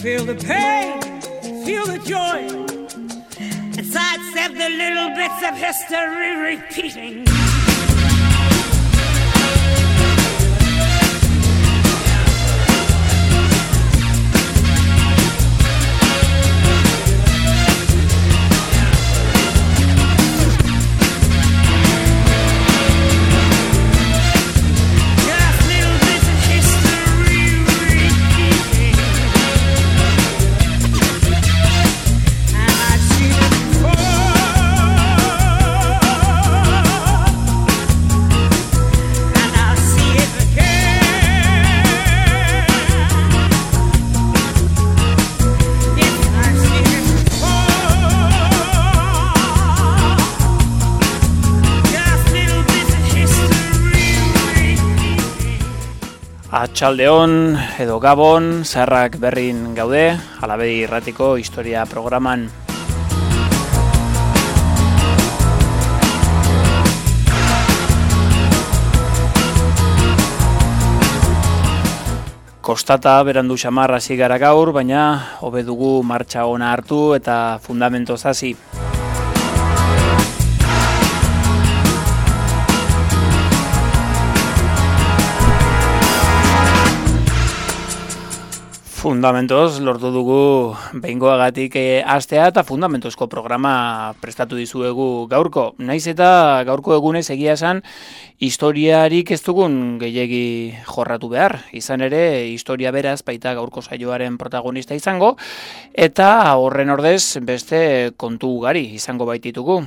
Feel the pain, feel the joy, and sidestep the little bits of history repeating. Atxaldeon edo Gabon, zaharrak berrin gaude, Alabedi Irratiko historia programan. Kostata berandu xamar hasi gara gaur, baina hobe dugu martxa ona hartu eta fundamentoz hasi. Fundamentoz lortu dugu behingoagatik hastea eta fundamentozko programa prestatu dizuegu gaurko. Naiz eta gaurko egunez egia esan historiarik ez dugun gehiegi jorratu behar. Izan ere, historia beraz baita gaurko saioaren protagonista izango eta horren ordez beste kontu ugari izango baititugu.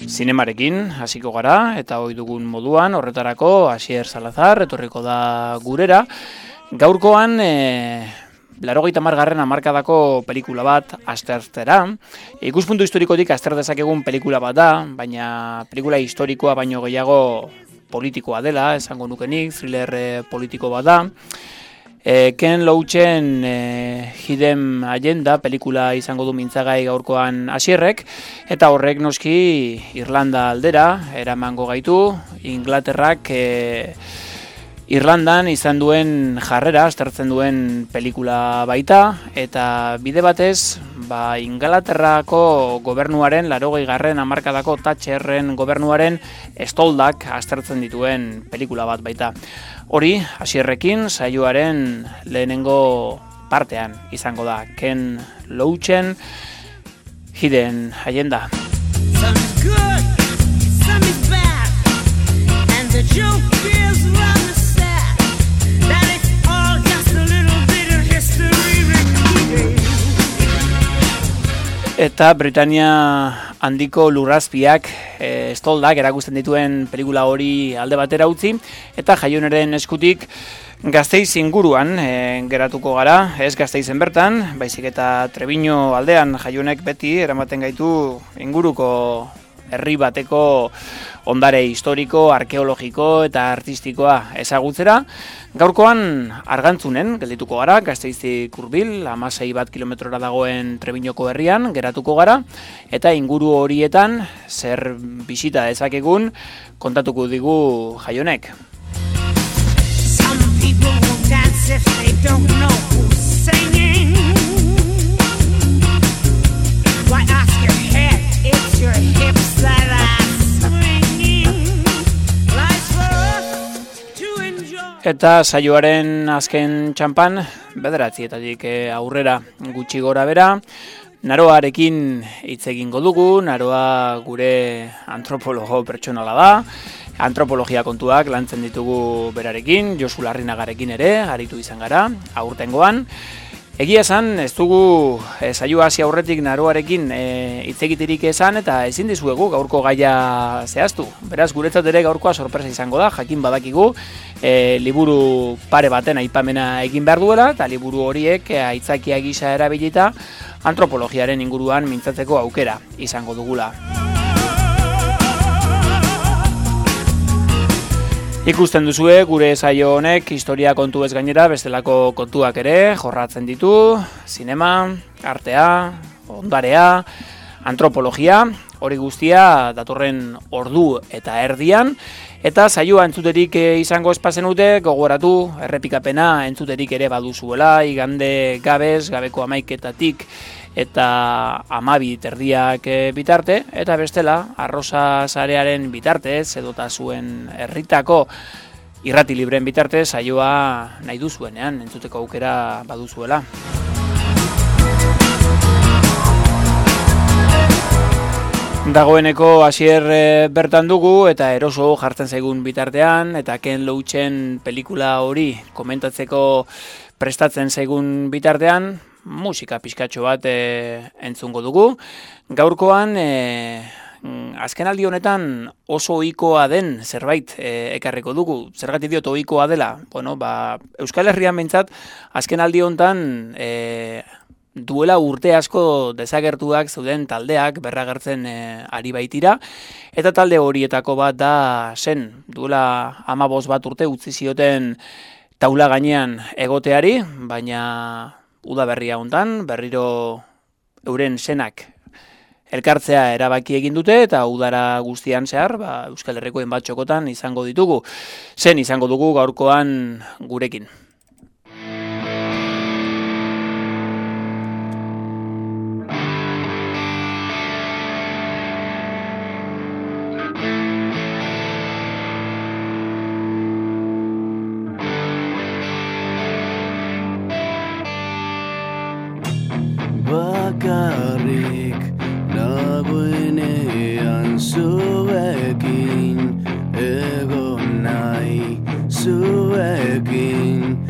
Zinemarekin hasiko gara eta ohi dugun moduan horretarako Asier Salazar etorriko da gurera. Gaurkoan 80. hamarkadako pelikula bat aztertzera. Ikuspuntu historikotik azter dezakegun pelikula bat da, baina pelikula historikoa baino gehiago politikoa dela, esango nukenik, thriller politiko bat da. Ken Loachen Hidden Agenda pelikula izango du mintzagai gaurkoan Asierrek, eta horrek noski Irlanda aldera eramango gaitu. Inglaterrak Irlandan izan duen jarrera aztertzen duen pelikula baita, eta bide batez Inglaterrako gobernuaren 80. hamarkadako Thatcherren gobernuaren estoldak aztertzen dituen pelikula bat baita. Hori, Asierrekin saioaren lehenengo partean izango da. Ken Loachen Hidden Agenda. Some is good, some is bad, and the joke is rather sad, that it's all just a little bit of history repeating. Eta Britania handiko lurrazpiak estoldak erakusten dituen pelikula hori alde batera utzi, eta Jaioneren eskutik Gasteiz inguruan geratuko gara, ez Gasteizen bertan, baizik eta Trebiño aldean Jaionek beti eramaten gaitu inguruko herri bateko ondare historiko, arkeologiko eta artistikoa ezagutzera. Gaurkoan Argantzunen geldituko gara, Gasteiztik hurbil, 16 kilometrora dagoen Trebiñoko herrian geratuko gara, eta inguru horietan zer bisita dezakegun kontatuko digu Jaionek. Some people will dance if they don't know who's singing. Why ask your head, it's your hips that are swinging. Life's for us to enjoy. Eta saioaren azken txampan, 9:00 aurrera gutxi gora bera, Naroarekin hitz egingo dugu. Naroa gure antropologo pertsonala da. Antropologia kontuak lantzen ditugu berarekin, Josu Larrinagarekin ere aritu izan gara aurtengoan. Egia esan, ez dugu saioa hasi aurretik Naroarekin hitz egiterik esan, eta ezin dizuegu gaurko gaia zehaztu. Beraz, guretzat ere gaurkoa sorpresa izango da, jakin badakigu liburu pare baten aipamena egin behar duela, eta liburu horiek aitzakia gisa erabilita antropologiaren inguruan mintzatzeko aukera izango dugula. Ikusten duzue, gure saio honek historia kontu ez gainera bestelako kontuak ere jorratzen ditu, zinema, artea, ondarea, antropologia, Hori guztia datorren ordu eta erdian, eta saioa entzuterik izango espazenute, gogoratu errepikapena entzuterik ere baduzuela, igande gabeko 11:00 eta 12:00 bitarte, eta bestela, Arrosa sarearen bitartez, edota zuen herritako irrati libren bitartez, saioa nahi duzuenean, entzuteko aukera baduzuela. Dagoeneko Asier bertan dugu eta eroso jartzen zaigun bitartean eta Ken Loachen pelikula hori komentatzeko prestatzen zaigun bitartean musika pixkatxo bat entzungo dugu. Gaurkoan azkenaldi honetan oso ohikoa den zerbait ekarriko dugu. Zergatik diot ohikoa dela? Bueno, Euskal Herrian behintzat azkenaldi honetan duela urte asko desagertuak zeuden taldeak berragertzen ari baitira, eta talde horietako bat da zen, duela 15 bat urte utzi zioten taula gainean egoteari, baina udaberria hontan berriro euren senak elkartzea erabaki egin dute, eta udara guztian zehar, Euskal Herriko hainbat txokotan izango ditugu. Zen izango dugu gaurkoan gurekin. Bakarrik nagoenean zuekin, egon nahi zuekin,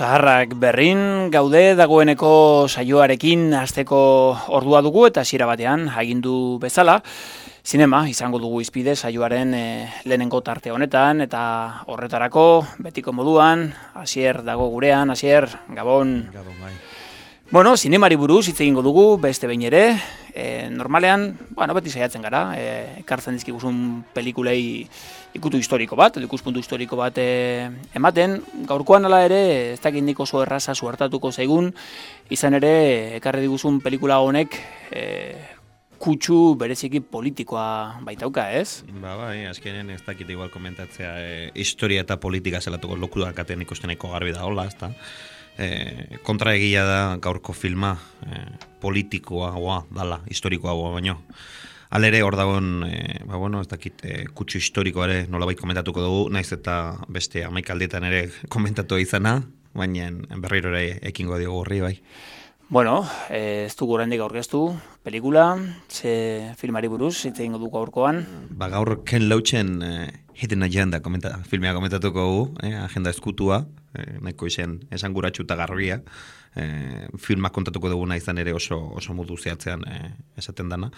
Zaharrak berrin, gaude dagoeneko saioarekin hasteko ordua dugu eta hasiera batean agindu bezala. Zinema izango dugu izpide saioaren lehenengo tarte honetan eta horretarako betiko moduan, Asier dago gurean, Asier, Gabon. Gabon, bai. Bueno, zinemari buruz hitz egingo dugu, beste behin ere, normalean, beti saiatzen gara, ekartzen dizkiguzun pelikulei ikutu historiko bat, edo ikuspuntu historiko bat ematen. Gaurkoan hala ere, ez dakit nik oso erraza suertatuko zaigun, izan ere, ekarri diguzun pelikula honek kutsu bereziki politikoa baitauka, ez? Bai, azkenen ez dakit igual komentatzea historia eta politika zelatuko lokurak katen ikusteneko garbi da hola, ezta? Kontraegia da gaurko filma politikoa dala, historikoa baino. Alere hor dagoen, ez dakit, kutsu historikoa ere nolabait komentatuko dugu, naiz eta beste 11 aldetan ere komentatu izana, baina berriro ere ekingo diogu horri, bai. Bueno, ez dugu oraindik aurkeztu pelikula, ze filmari buruz, hitz egingo dugu gaurkoan. Gaur Ken Loachen Hidden Agenda filmea komentatuko dugu, agenda eskutua, nahiko esan guratxu eta garbia, filmak kontatuko duguna izan ere oso modu zehatzean esaten dana.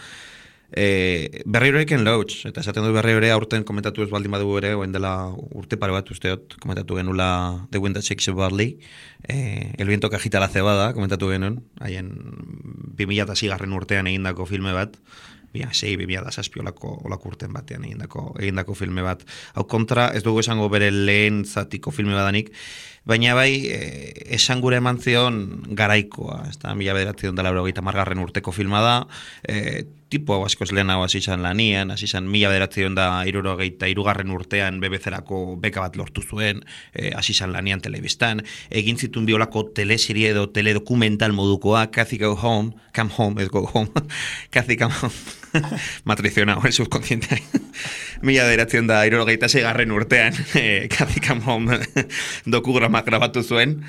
Berriro Ken Loach, eta esaten du berriro ere aurten komentatu ez baldin badugu ere, oen dela urte pare bat usteot, komentatu genula The Wind That Shakes Your Body, El viento que agita la cebada, komentatu genuen, haien 2006 urtean egindako filme bat, 2006 olako urten batean egindako filme bat. Hau kontra, ez dugu esango bere lehen zatiko filme badanik, baina bai, esan gure eman zion garaikoa, ez da, 1980 urteko filma da, tipo hau askoz lehenago hasi izan lanian, hasi izan 1973 urtean BBC-erako beka bat lortu zuen, hasi izan lanian telebistan, egin zituen biolako teleserie edo teledokumental modukoa, Cathy Go Home, Come Home, ez Go Home, Cathy Come Home, matrizionao, el subconsciente. 1976 urtean, Cathy Come Home dokugramak grabatu zuen,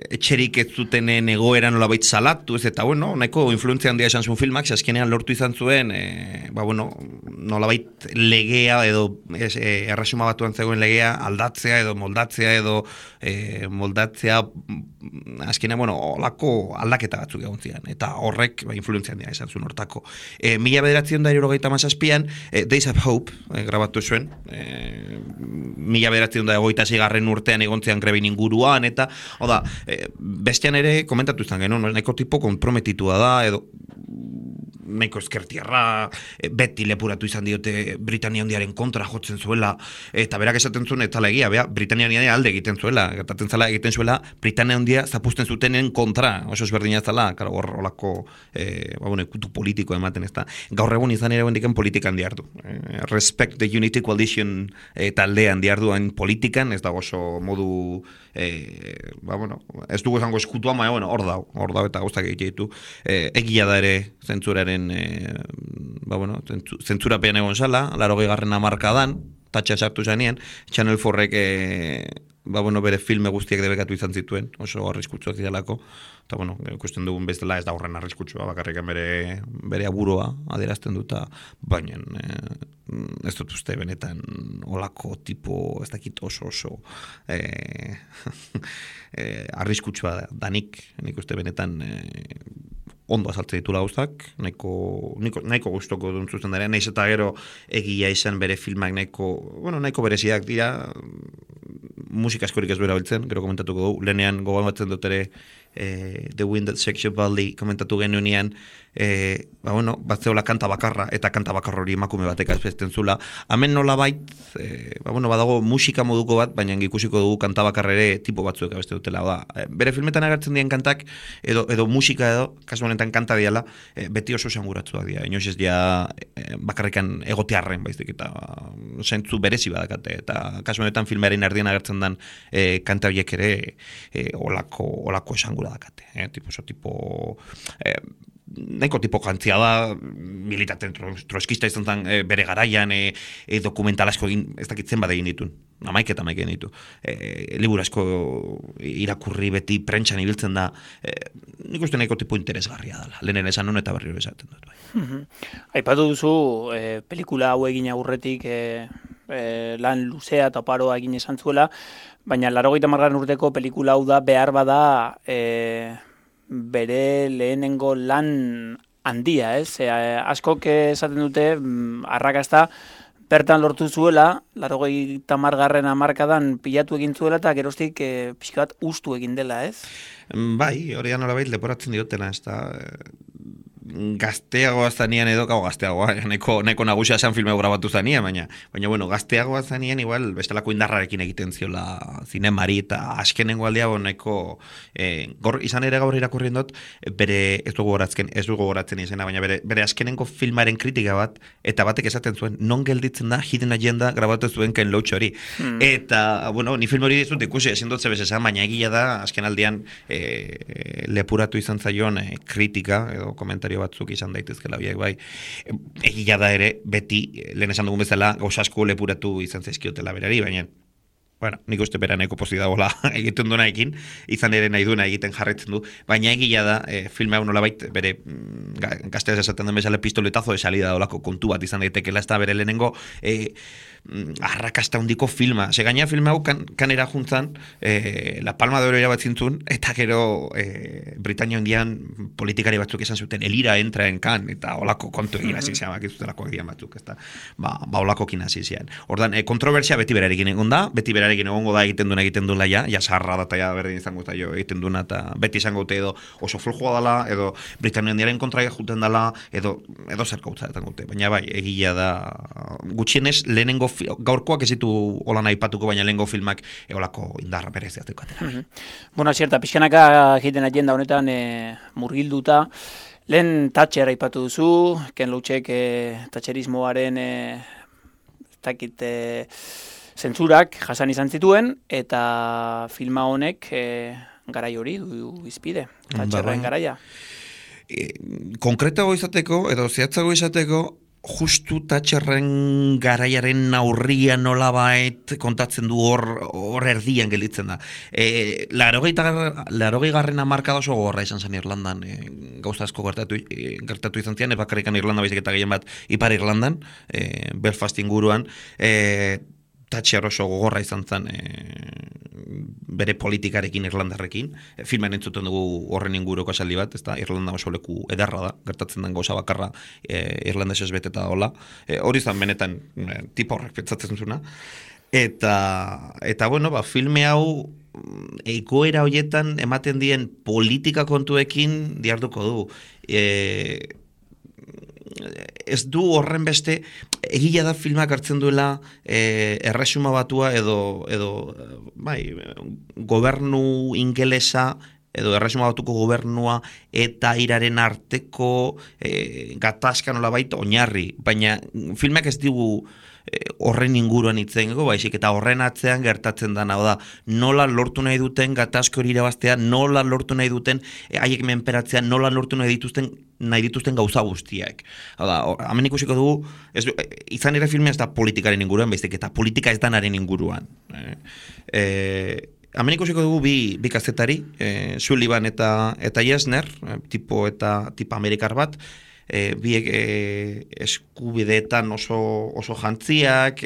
etxerik ez zutenen egoera nolabait salatu, ez eta nahiko influentzia handia esan zuen filmak, azkenean lortu izan zuen, nolabait legea edo erresuma batuan zegoen legea aldatzea edo moldatzea, azkenean, olako aldaketa batzuk egon zian, eta horrek influentzia handia esan zuen hortako. 1977an, Days of Hope, grabatu zuen, 1986 urtean egon zian grebin inguruan, eta, bestean ere komentatu izan genuen, nahiko tipo komprometitua da, edo nahiko eskertiarra, beti lepuratu izan diote Britania Handiaren kontra jotzen zuela, eta berak esaten zuen, eta legia, Britania Handia alde egiten zuela, gertatzen zela egiten zuela, Britania Handia zapusten zutenen kontra, oso ezberdina zela, horrelako, ikutu politiko ematen, ez da. Gaur egun izan ere bendiken politikan diardu. Respect the Unity Coalition taldean diardu hain politikan, ez da oso modu, ez dugu esango eskutua, hor dau, eta guztak egitu. Egia da ere zentzuraren, zentzurapean egon zala, 80. hamarkadan, tatxa sartu zanean, Channel 4-ek bere filme guztiak debekatu izan zituen, oso arriskutsuak zidalako, eta ikusten dugun bezala ez da horren arriskutsua, bakarrik bere aburoa adierazten dut, baina ez dut uste benetan olako tipo, ez dakit oso arriskutsua danik, nik uste benetan ondo azaltze ditula gauzak, nahiko gustoko dut zuzen dara, nahiz eta gero egia izan bere filmak nahiko bereziak dira, musika askorik ez duera biltzen, gero komentatuko dugu, lehenean gogoan batzen dut ere The Wind That Shakes Your Body komentatu genuenean, batzeola kanta bakarra, eta kanta bakarra hori emakume batek azpezten zula. Hemen nola bait, badago musika moduko bat, baina ikusiko dugu kanta bakarra ere tipo batzuek abeste dutela. Bere filmetan agertzen dien kantak, edo musika edo, kasu honetan kanta diala, beti oso esanguratzua dira. Inoiz ez dia bakarrikan egotearren, baizik, eta zentzu berezi badakate. Eta kasu honetan filmearen erdien agertzen den kanta horiek ere olako esangura dakate. Nahiko tipo jantzia da, militaten troskista izan zen bere garaian, dokumental asko ez dakitzen bat egin ditun. Amaik egin ditu. Liburu asko irakurri beti prentxan ibiltzen da, nik uste nahiko tipo interesgarria dela. Lehenen esan non eta berriro esaten dut. Aipatu duzu, pelikula hau egin aurretik lan luzea eta oparoa egin esan zuela, baina 80. urteko pelikula hau da behar bada bere lehenengo lan handia, ez? Askok esaten dute arrakasta bertan lortu zuela, 80. hamarkadan pilatu egin zuela eta geroztik pixka bat ustu egin dela, ez? Bai, hori nolabait leporatzen diotena, ez da... Gazteagoa zanian edo, gazteagoa, neko nagusia esan filme grabatu zanian, baina bueno, gazteagoa zanian igual bestelako indarrarekin egiten ziola zinemari eta askenengo aldea neko izan ere gaur irakurrien dut, bere ez dugu gogoratzen izena, baina bere askenengo filmaren kritika bat, eta batek esaten zuen, non gelditzen da Hidden Agenda grabatu zuen Ken Loach hori. Eta, bueno, ni film hori dizut ikusi, ezin dut zebez esan, baina egia da, asken aldean lepuratu izan zaion kritika, edo komentario batzuk izan daitezkela biak bai. Egia da ere, beti, lehen esan dugun bezala, gauza asko lepuratu izan zaizkiotela berari, baina bueno, nik uste bera nahiko pozik dagoela egiten duena ekin, izan ere nahi duena egiten jarretzen du, baina egia da, filme hau nolabait bere gazteaz esaten den bezala pistoletazo de salida dolako kontu bat izan daitekela, ez da bere lehenengo arrakasta hundiko filma. Gaina filme hau kanera juntzan La Palma de Oro irabatzintzun, eta gero Britania hondian politikari batzuk esan zuten, elira entra en kan, eta olako kontu egin hasi zean, bakizutelako egian batzuk, ez da, olako kin hasi zean. Ordan, kontroversia beti berarekin egon da, beti berarekin egongo da egiten duela ja sarra da eta ja berdin izango eta jo egiten duena, eta beti izango dute edo oso flojoa dela, edo Britania hondiaren kontra juten dela, edo zer gautza dute, baina bai, egia da, gutxienez lehenengo gaurkoak ez ditu holan aipatuko, baina lehenengo filmak eolako indarra bereziateko atera. Bueno, zierta, pixkanaka Hidden Agenda honetan murgilduta, lehen Thatcher aipatu duzu, Ken Loachek Thatcherismoaren zentzurak jasan izan zituen, eta filma honek garai hori du izpide, Thatcherren garaia. Konkretago izateko, edo zehatzago izateko, justu Thatcherren garaiaren aurria nolabait kontatzen du hor erdian gelditzen da. 80. hamarkada oso gogorra izan zen Irlandan, gauza asko gertatu izan zian, bakarrikan Irlanda baizik eta gehien bat Ipar Irlandan, Belfast inguruan, Thatcher oso gogorra izan zen bere politikarekin Irlandarrekin. Filmen entzuten dugu horren inguruko esaldi bat, ez da, Irlanda oso leku ederra da, gertatzen den gauza bakarra irlandesez beteta dola. Hori izan benetan tipa horrek pentsatzen zuna. Eta bueno, filme hau egoera horietan ematen dien politika kontuekin diarduko du. Ez du horren beste, egia da filmak hartzen duela erresuma batua edo gobernu ingelesa edo erresuma batuko gobernua eta iraren arteko gatazka nolabait oinarri, baina filmak ez digu horren inguruan hitzen baizik eta horren atzean gertatzen da, hau da, nola lortu nahi duten gatazko hori irabaztea, nola lortu nahi duten haiek menperatzea, nola lortu nahi dituzten gauza guztiak. Hau da, hemen ikusiko dugu, izan ere filmea ez da politikaren inguruan, baizik eta politika ez danaren inguruan. Hemen ikusiko dugu bi kazetari, Sullivan eta Yesner, tipa amerikar bat, biek eskubideetan oso jantziak,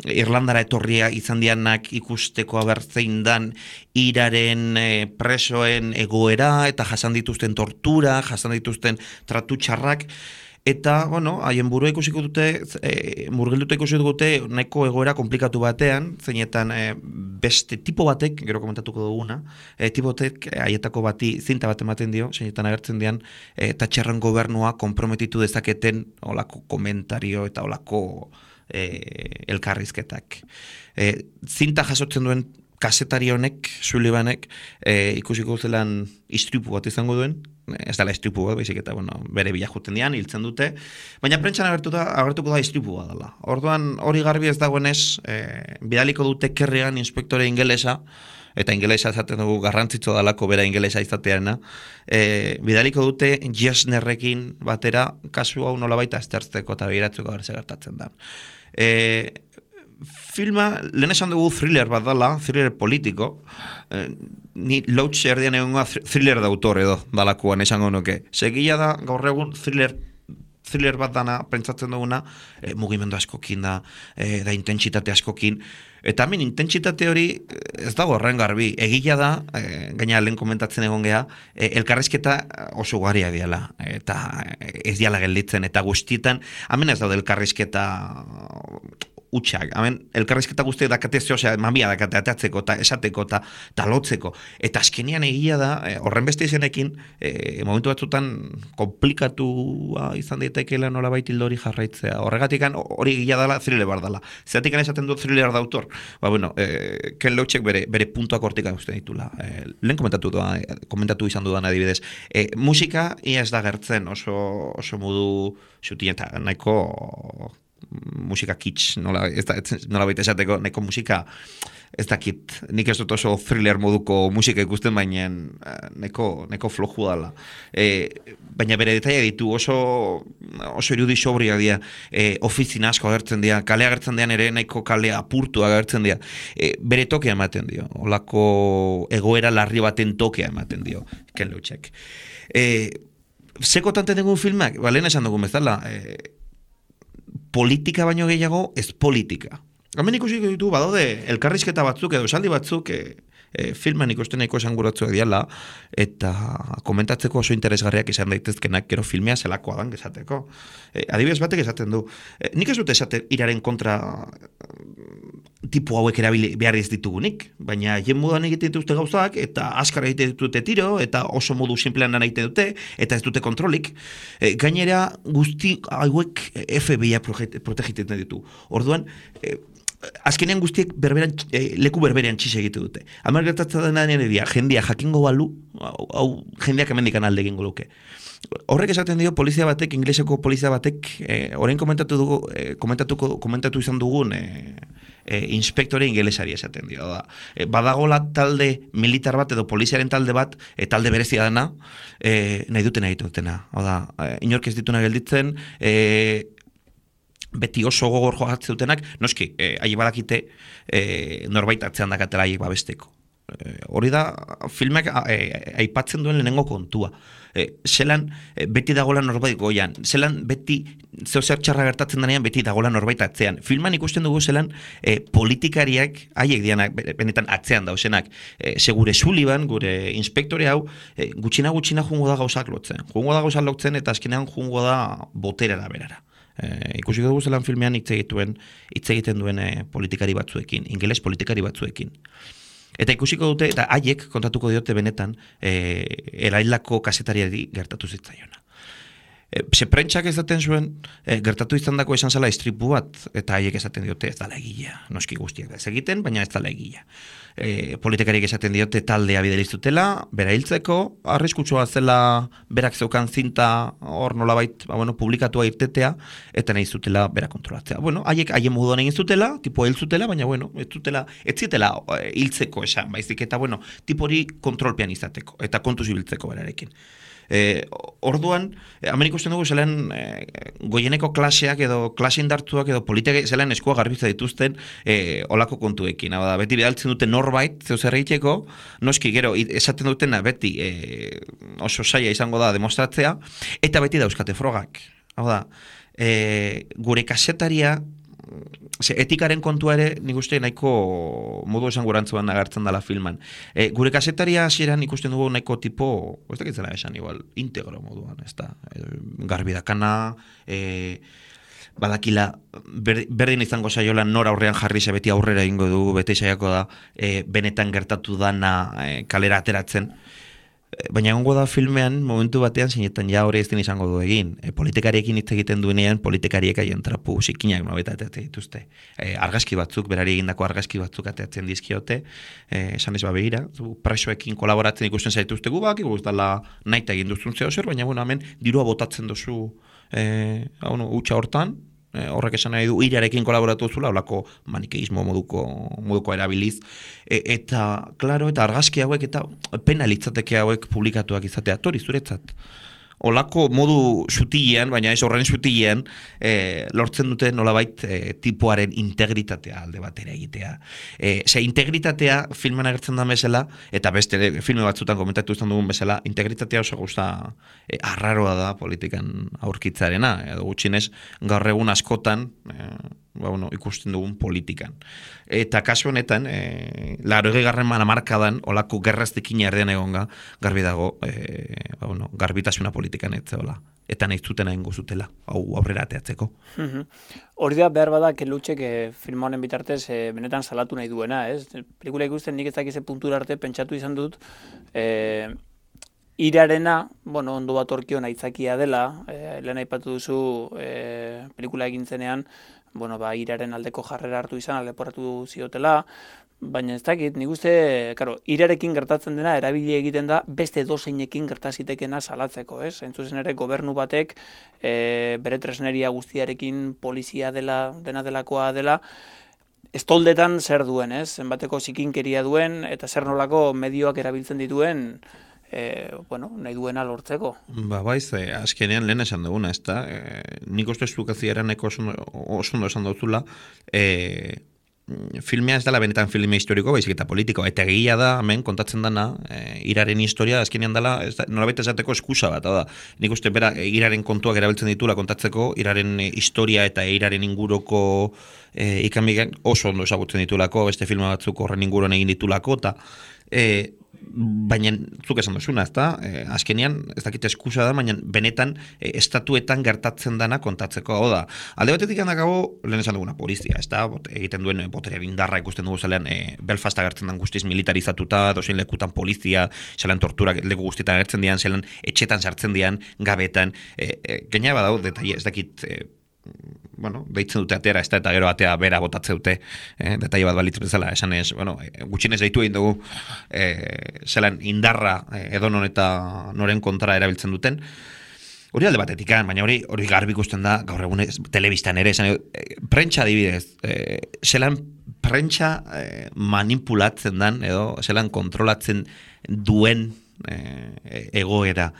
Irlandara etorria izan dianak ikusteko abertzein dan iraren presoen egoera eta jasan dituzten tortura, jasan dituzten tratu txarrak. Eta, bueno, haien burua ikusiko dute, murgilduta ikusiko dute, nahiko egoera komplikatu batean, zeinetan beste tipo batek, gero komentatuko duguna, tipo batek haietako bati zinta bat ematen dio, zeinetan agertzen dian, Thatcherren gobernua konprometitu dezaketen olako komentario eta olako elkarrizketak. Zinta jasotzen duen kasetari honek, Sullivanek, ikusiko zelan istripu bat izango duen, ez dela istripu bat, baizik eta bere bila juten dian, hiltzen dute, baina prentsan agertuko da istripu bat dela. Orduan hori garbi ez dagoenez, bidaliko dute kerrean inspektore ingelesa, eta ingelesa esaten dugu garrantzitsu dalako bera ingelesa izateana, bidaliko dute Yesnerrekin batera kasu hau nolabaita aztertzeko eta begiratzeko berze gertatzen da. Filma, lehen esan dugu thriller bat dala, thriller politiko, ni Loach erdian egongoa thriller de autor edo dalakoan esango nuke. Segia da gaur egun thriller thriller bat dana, pentsatzen duguna, mugimendu askokin da intentsitate askokin, eta hemen intentsitate hori ez dago horren garbi, egia da, gaina lehen komentatzen egon geha, elkarrizketa oso garia diala, eta ez diala gelditzen, eta guztietan, hemen ez daude elkarrizketa utxak, elkarrizketa guztiak dakate zehosea, mamia dakate ateatzeko, eta esateko, eta lotzeko. Eta azkenean egia da, horren beste izenekin, momentu batzutan komplikatua izan daitekeela nolabait hildo hori jarraitzea. Horregatik hori egia dela, thriller bar dela. Zeratik esaten dut thriller da autor. Ken Loachek bere puntuak hortik uste ditula. Lehen komentatu izan dudan adibidez. Musika ia ez da gertzen oso modu xutien eta nahiko musika kitsch, nola baita esateko, neko musika, ez dakit, nik ez dut oso thriller moduko musika ikusten, baina neko floju dala. Baina bere detaia ditu, oso irudi sobria dira, ofizina asko agertzen dira, kale agertzen dian ere, nahiko kale apurtu agertzen dira, bere tokea ematen dio, olako egoera larri baten tokea ematen dio, Ken Loachek. Sekotante dengun filmak, lehen esan dugun bezala, politika baino gehiago, ez politika. Hemen ikusiko ditu, badaude, elkarrizketa batzuk edo esaldi batzuk filman ikusten nahiko esanguratzuak diala, eta komentatzeko oso interesgarriak izan daitezkenak, gero filmea zelakoa dan esateko. Adibidez batek esaten du, nik ez dut esate iraren kontra tipu hauek erabili behar ez ditugunik, baina jen moduan egiten dituzte gauzak, eta askar egiten ditute tiro, eta oso modu simplean egiten dute, eta ez dute kontrolik. Gainera guzti hauek FBI protegiten ditu. Orduan, azkenean guztiek leku berberean txise egite dute. Hamar gertatzen dena nire dia, jendia jakingo balu, hau jendeak hemendikan alde egingo luke. Horrek esaten dio polizia batek, ingleseko polizia batek, orain komentatu izan dugun inspektore ingelesari esaten dio. Badagola talde militar bat edo poliziaren talde bat, talde berezia dena, nahi dutena. Inork ez dituna gelditzen, beti oso gogor jogatzetutenak, noski, haie badakite norbait atzean dakatela haiek babesteko. Hori da, filmek aipatzen duen lehenengo kontua. Zelan beti dagoela norbait goian, zelan beti zer txarra gertatzen denean beti dagoela norbait atzean. Filman ikusten dugu zelan politikariak, haiek dianak benetan atzean dausenak, segure Sullivan, gure inspektore hau, gutxina jungo da gauzak lotzen. Jungo da gauzak lotzen eta azkenean jungo da boterera berara. Ikusiko dugu zelan filmean hitz egiten duen politikari batzuekin, ingeles politikari batzuekin. Eta ikusiko dute, eta haiek kontatuko diote benetan, erailako kasetariari gertatu zitzaiona. Prentsak esaten zuen, gertatu izan dako esan zela istripu bat, eta haiek esaten diote ez dala egila. Noski guztiak ez egiten, baina ez dala egila. Politikariek esaten diote taldea bideliztutela, bera hiltzeko, arriskutsua zela berak zeukan zinta hor nolabait publikatua irtetea, eta nahi zutela bera kontrolatzea. Haiek haien moduan egin zutela, tipo hil zutela, baina ez zitela hiltzeko esan, baizik eta tipo hori kontrolpean izateko, eta kontuz ibiltzeko berarekin. Orduan, hemen ikusten dugu zelan goieneko klaseak edo klase indartuak edo politika zelan eskua garbitza dituzten olako kontuekin. Beti bidaltzen dute norbait, zeu zer egiteko, noski gero esaten dutena beti oso saia izango da demostratzea, eta beti dauzkate frogak. Gure kasetaria, etikaren kontua ere nik uste nahiko modu esangurantzuan agertzen dela filman. Gure kasetaria hasieran ikusten dugu nahiko tipo, ez dakitzela esan igual, integro moduan, ez da, garbidakana, badakila, berdin izango saiola nora aurrean jarri ze beti aurrera egingo dugu, beti saiako da, benetan gertatu dana kalera ateratzen. Baina egongo da filmean, momentu batean, zinetan ja hori ez den izango du egin. Politikariekin hitz egiten duenean, politikariek haien trapu zikinak nobeta ateatzen dituzte. Argazki batzuk, berari egindako argazki batzuk ateatzen dizkiote, esan ez begira, presoekin kolaboratzen ikusten zaituzte gubak, guztala nahi egin duzun zeo zer, baina hemen dirua botatzen duzu utxa hortan, horrek esan nahi du irarekin kolaboratu zula, holako manikeismo moduko erabiliz, eta, klaro, eta argazki hauek, eta pena litzateke hauek publikatuak izatea, tori zuretzat. olako modu sutilean, baina ez horren sutilean, lortzen dute nolabait tipoaren integritatea alde batera egitea. Integritatea filman agertzen da bezala, eta beste filme batzutan komentatu izan dugun bezala, integritatea oso gauza arraroa da politikan aurkitzarena, edo gutxinez gaur egun askotan ikusten dugun politikan. Eta kasu honetan, 80. hamarkadan olako gerraztekin erdean egonga, garbi dago, garbitasuna politikan ez zeola. Eta nahi zuten egingo zutela, hau aurrera ateatzeko. Hori da behar bada Kelutxek film honen bitartez benetan salatu nahi duena, ez? Pelikula ikusten nik ez dakize puntura arte pentsatu izan dut, irarena, ondo bat orkion aitzakia dela, lehen aipatu duzu pelikula egin zenean, iraren aldeko jarrera hartu izan, leporatu ziotela, baina ez dakit, nik uste, irarekin gertatzen dena erabili egiten da beste dozeinekin gertazitekena salatzeko, ez? Entzuzen ere, gobernu batek bere tresneria guztiarekin polizia dela, dena delakoa dela, estoldetan zer duen, ez? Zenbateko zikinkeria duen, eta zer nolako medioak erabiltzen dituen, nahi duena lortzeko. Baiz, azkenean lehen esan duguna, ez da? Nik uste estukaziaraneko oso ondo esan duzula, filmea ez dela benetan filme historiko, baizik eta politiko, eta egia da, hemen kontatzen dana, iraren historia, azkenean dela, nolabait esateko eskusa bat, da, nik uste bera, iraren kontuak erabiltzen ditula kontatzeko, iraren historia eta iraren inguruko ikanbigan oso ondo esagutzen ditulako, beste filma batzuk horren inguruan egin ditulako, eta baina zuk esan duzuna, ezta? Azkenean, ez dakit eskusa da, baina benetan estatuetan gertatzen dana kontatzeko. Hau da, alde batetik handakago, lehen esan duguna polizia, ezta? Egiten duen boterean indarra ikusten dugu zelean, Belfast agertzen den guztiz militarizatuta, dozein lekutan polizia, zelean torturak leku guztietan agertzen dian, zelean etxetan sartzen dian, gabetan, gaina badau, detaile, ez dakit, deitzen dute atera, ez da, eta gero atea bera botatze dute, detaile bat balitz bezala, esan ez, gutxinez deitu egin dugu, zelan indarra edonon eta noren kontra erabiltzen duten, hori alde batetik, baina hori garbi ikusten da, gaur egun telebistan ere, esan, prentsa adibidez, zelan prentsa manipulatzen dan, edo zelan kontrolatzen duen egoera,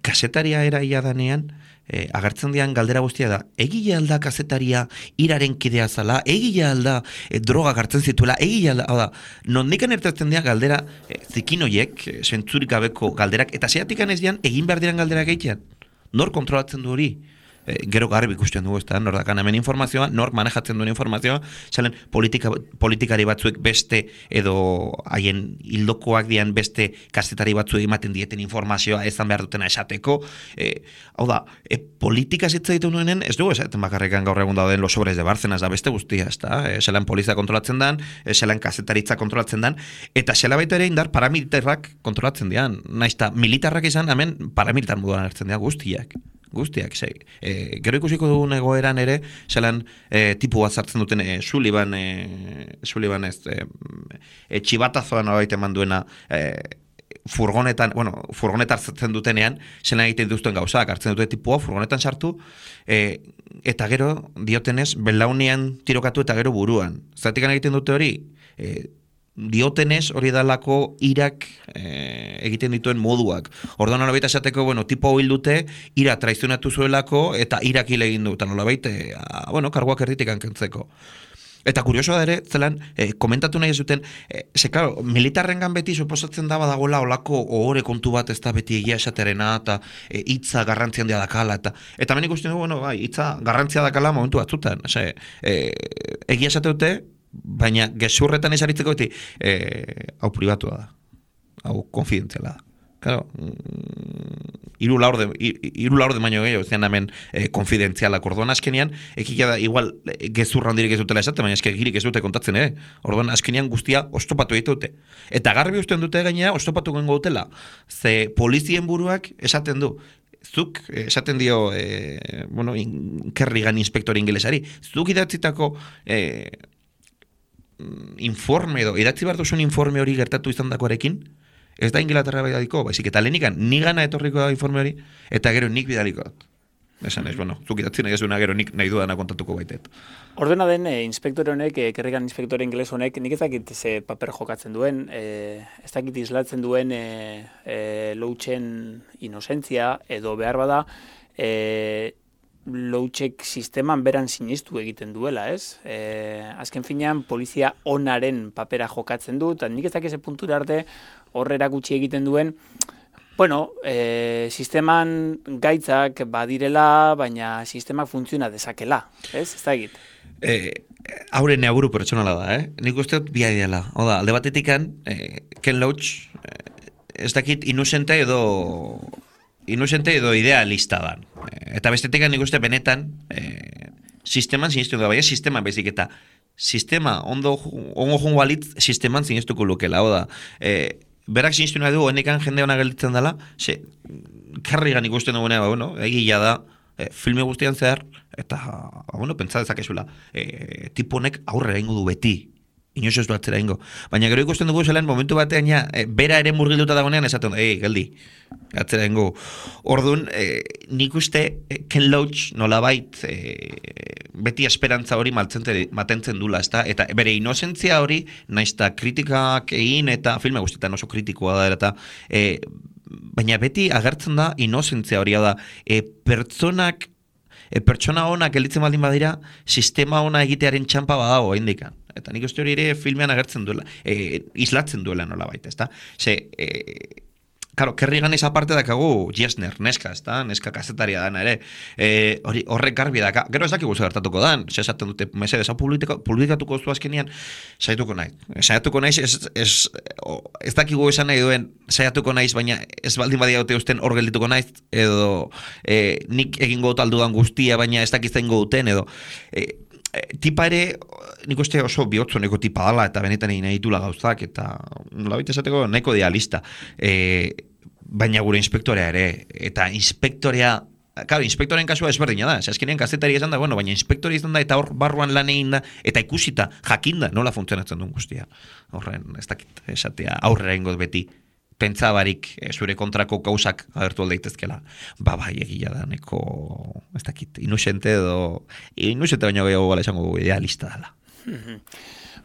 kasetaria eraia danean, agertzen dian galdera guztia da, egile alda kazetaria iraren kidea zala, egile alda droga gartzen zituela, egile alda, hau da, nondikan ertatzen dian galdera zikinoiek, zentzurik gabeko galderak, eta zeatikan ez dian, egin behar diran galderak egitean. Nor kontrolatzen du hori? Gero garbi ikusten dugu, ezta, nor dakan hemen informazioa, nor manejatzen duen informazioa, zelen politikari batzuek beste edo haien hildokoak dian beste kazetari batzuek ematen dieten informazioa ezan behar dutena esateko. Hau da, politika zitza ditu nuenen, ez dugu esaten bakarrekan gaur egun dauden Los Sobres de Bárcenas da beste guztia, ezta, zelan polizia kontrolatzen dan, zelan kazetaritza kontrolatzen dan, eta zela baita ere indar paramilitarrak kontrolatzen dian, naizta militarrak izan, hemen paramilitar moduan hartzen dira guztiak, gero ikusiko dugun egoeran ere, zelan tipu bat zartzen duten Sullivan ez, txibatazoan nolabait eman duena furgonetan zartzen dutenean, zelan egiten dituzten gauzak, hartzen dute tipua, furgonetan sartu, eta gero diotenez, belaunean tirokatu eta gero buruan. Zergatik egiten dute hori, diotenez hori dalako irak egiten dituen moduak. Orduan nolabait esateko, tipo hil dute, ira traizionatu zuelako eta irak hil egin du, eta nolabait, karguak erditik hankentzeko. Eta kuriosoa da ere, zelan, komentatu nahi zuten, claro, militarrengan beti suposatzen da badagoela olako ohore kontu bat ez da beti egia esaterena, eta hitza garrantzia handia dakala, eta hemen ikusten dugu, hitza garrantzia dakala momentu batzutan. Egia esate dute, baina gezurretan esaritzeko beti hau pribatua da, hau konfidentziala da. Claro, hiru laurde baino gehiago, ez hemen konfidentzialak. Orduan azkenean, ekila da, igual gezurra handirik ez dutela esate, baina eskirik ez dute kontatzen, Orduan azkenean guztia ostopatu egite dute. Eta garbi usten dute gainera, ostopatu gengo dutela. Ze polizien buruak esaten du, zuk esaten dio, Kerrigan inspektor ingelesari, zuk idatzitako informe edo, idatzi behar duzun informe hori gertatu izan dakoarekin, ez da Inglaterra bidaliko, baizik eta lehenikan, nigana etorriko da informe hori, eta gero nik bidaliko. Esan ez, bueno, zuk idatzi nahi ezuna gero nik nahi dudana kontatuko baitet. Ordena den, inspektore honek, kerrikan inspektore ingeles honek, nik ez dakit ze paper jokatzen duen, ez dakit islatzen duen Loachen inozentzia, edo behar bada, Loachek sisteman beran sinistu egiten duela, ez? Azken finean, polizia onaren papera jokatzen du, eta nik ez dakit ze puntura arte horrera gutxi egiten duen, bueno, sisteman gaitzak badirela, baina sistemak funtziona dezakela, ez? Ez da egit. Hauren aburu pertsonala da, Nik uste dut bia ideala. Oda, alde batetikan, Ken Loach, ez dakit inusente edo idealista dan. Eta bestetik nik uste benetan sisteman sinistu da, baina sisteman bezik eta sistema ongo jongo balitz sisteman sinistuko lukela. Oda, berak sinistu nahi du, honekan jende hona gelditzen dela, karrigan ikusten dugunea, bueno, egia da, filme guztian zehar, eta, bueno, pentsa dezakezula, tiponek aurrera ingo du beti, inoz ez du atzera ingo. Baina gero ikusten dugu zelan, momentu batean, bera ere murgilduta dagoenean, esaten, geldi, atzera ingo. Orduan, nik uste Ken Loach nolabait beti esperantza hori mantentzen dula, ezta? Eta bere inozentzia hori, naizta kritikak egin, eta filme guztietan oso kritikoa da, eta baina beti agertzen da inozentzia hori da, pertsona honak gelditzen baldin badira, sistema ona egitearen txampa badago indikan. Eta nik uste hori ere filmean agertzen duela, islatzen duela nola baita, ezta? Claro, Kerrigan esa parte dakagu Jesner, neska, ezta? Neska kazetaria dana ere. Horrek garbi daka. Gero ez dakigu esaten dan, esaten dute, mesedez, hau publikatuko zu azkenian, saiatuko nahi. Saiatuko naiz, ez dakigu esan nahi duen, saiatuko naiz, baina ez baldin badia dute usten hor geldituko naiz, edo nik egingo taldudan guztia, baina ez dakizten duten, edo tipa ere, nik uste oso bihotzoneko tipa dala, eta benetan egin ditula gauzak, eta nolabait esateko nahiko idealista. Baina gure inspektorea ere, eta inspektorea, claro, inspektoren kasua ezberdina da, azkenean kazetari izan da, bueno, baina inspektori izan da, eta hor barruan lan egin da, eta ikusita, jakinda, nola funtzionatzen duen guztia. Horren, ez dakit, esatea, aurrera ingoz beti, pentsabarik zure kontrako gauzak agertu aldeitezkela. Bai, egia da, neko, ez dakit, inusente baino gehiago gala esango idealista dela.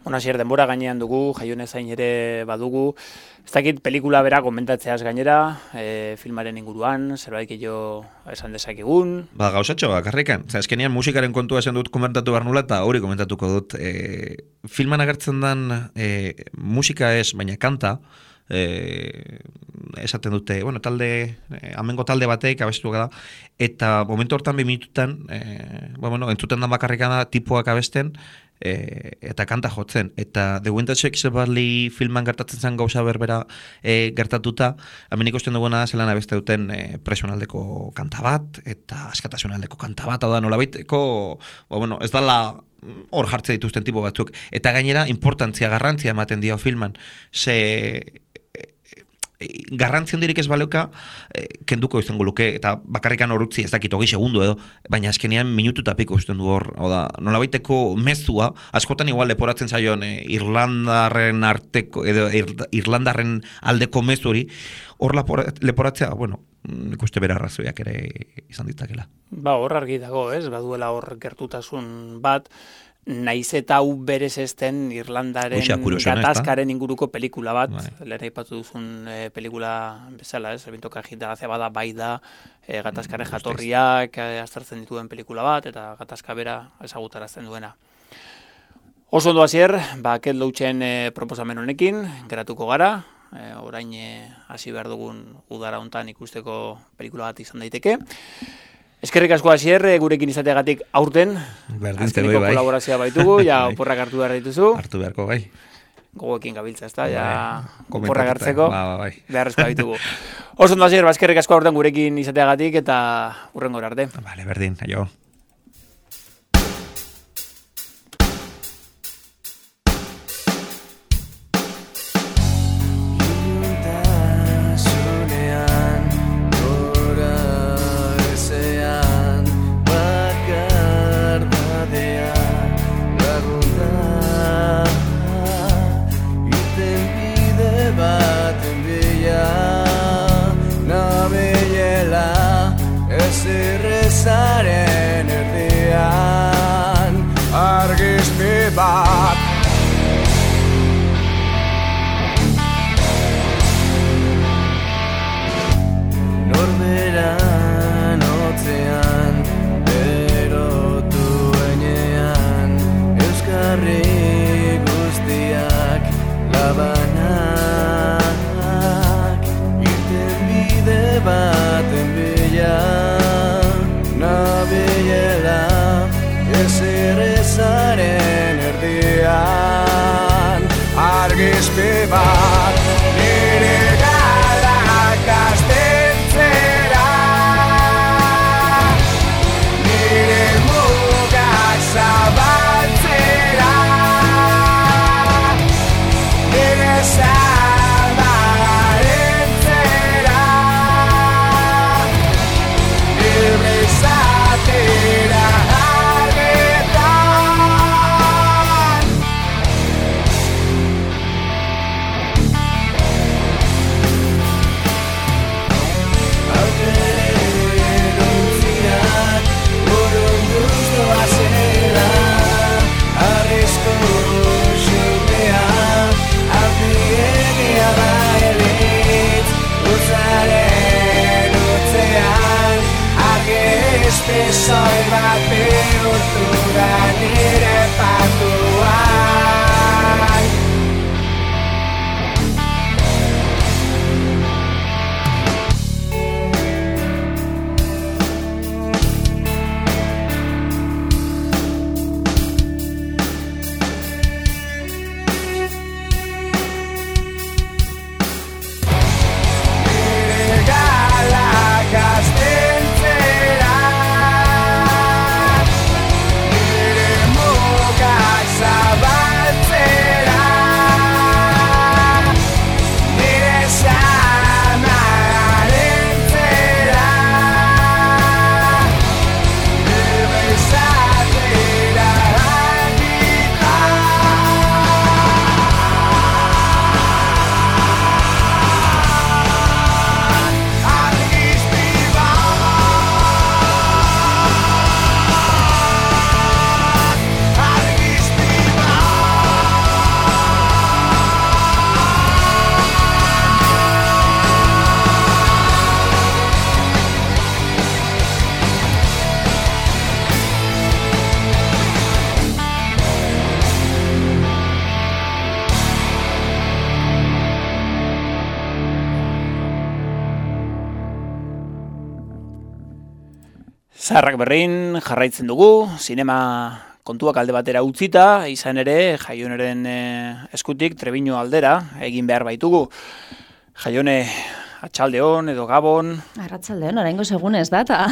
Bueno, asier, denbora gainean dugu, Jaione zain ere badugu. Ez dakit pelikula bera komentatzeaz gainera, filmaren inguruan, zerbait gehiago esan dezakegun. Gauzatxo, bakarrikan. Azkenean musikaren kontua esan dut komentatu behar nula, eta hori komentatuko dut. Filman agertzen den musika ez, baina kanta, esaten dute, bueno, amengo talde batek abestu da, eta momentu hortan 2 minututan, bueno, entzuten dan bakarrikana tipoak abesten, eta kanta jotzen, eta The Winter Shakes Barley filman gertatzen zen gauza berbera gertatuta, hemen ikusten duguna zelan abeste duten presionaldeko kanta bat, eta askatasunaldeko kanta bat, hau da nolabaiteko, bueno, ez dala hor jartze dituzten tipo batzuk, eta gainera garrantzia ematen dio filman, garrantzia hondirik ez baleuka, kenduko izango luke, eta bakarrikan horutzi ez dakit 20 segundo edo, baina azkenean minutu eta piko usten du hor, nolabaiteko mezua, askotan igual leporatzen zaion Irlandarren arteko, edo Irlandarren aldeko mezuri, hor leporatzea, bueno, nik uste bera arrazoiak ere izan ditzakela. Hor argi dago, ez? Baduela hor gertutasun bat, naiz eta hau berez ezten Irlandaren gatazkaren inguruko pelikula bat, lehen aipatu duzun pelikula bezala, ez? Bintoka agitagazia bada, bai da, gatazkaren jatorriak aztertzen dituen pelikula bat, eta gatazka bera ezagutarazten duena. Oso ondo hasier, Ken Loachen proposamen honekin, geratuko gara, orain hasi behar dugun udara hontan ikusteko pelikula bat izan daiteke. Eskerrik asko hasier, gurekin izateagatik aurten, azkeneko kolaborazioa baitugu, oporrak hartu behar dituzu. Hartu beharko, bai. Gogoekin gabiltza, ezta, oporrak hartzeko, beharrezkoa baitugu. Oso ondo hasier, eskerrik asko aurten gurekin izateagatik, eta hurrengo arte. Vale, berdin, aio. Rezar bat. Norberan otzean, berotu enean, euskarri guztiak labanak, irten bide baten bila, nabilela, ezer ezaren erdian, argizpi bat, nire galak astintzera, nire mugak zabaltzera, nire zabarentzera, libre izatera argetan. Aurreruntziak burunduz doazela, arrizko xumea, apiegia da elitz, utzaren utzean, argizpi soil bat bihurtu da nire patuan. Nire galak astintzera, nire mugak zabaltzera, nire zamarentzera, libre izatera argitan. Argizpi bat, argizpi Zaharrak berrin jarraitzen dugu, sinema kontuak alde batera utzita, izan ere Jaioneren eskutik Trebiño aldera egin behar baitugu. Jaione, atxaldeon edo gabon. Arratsaldeon, oraingo segunez da, eta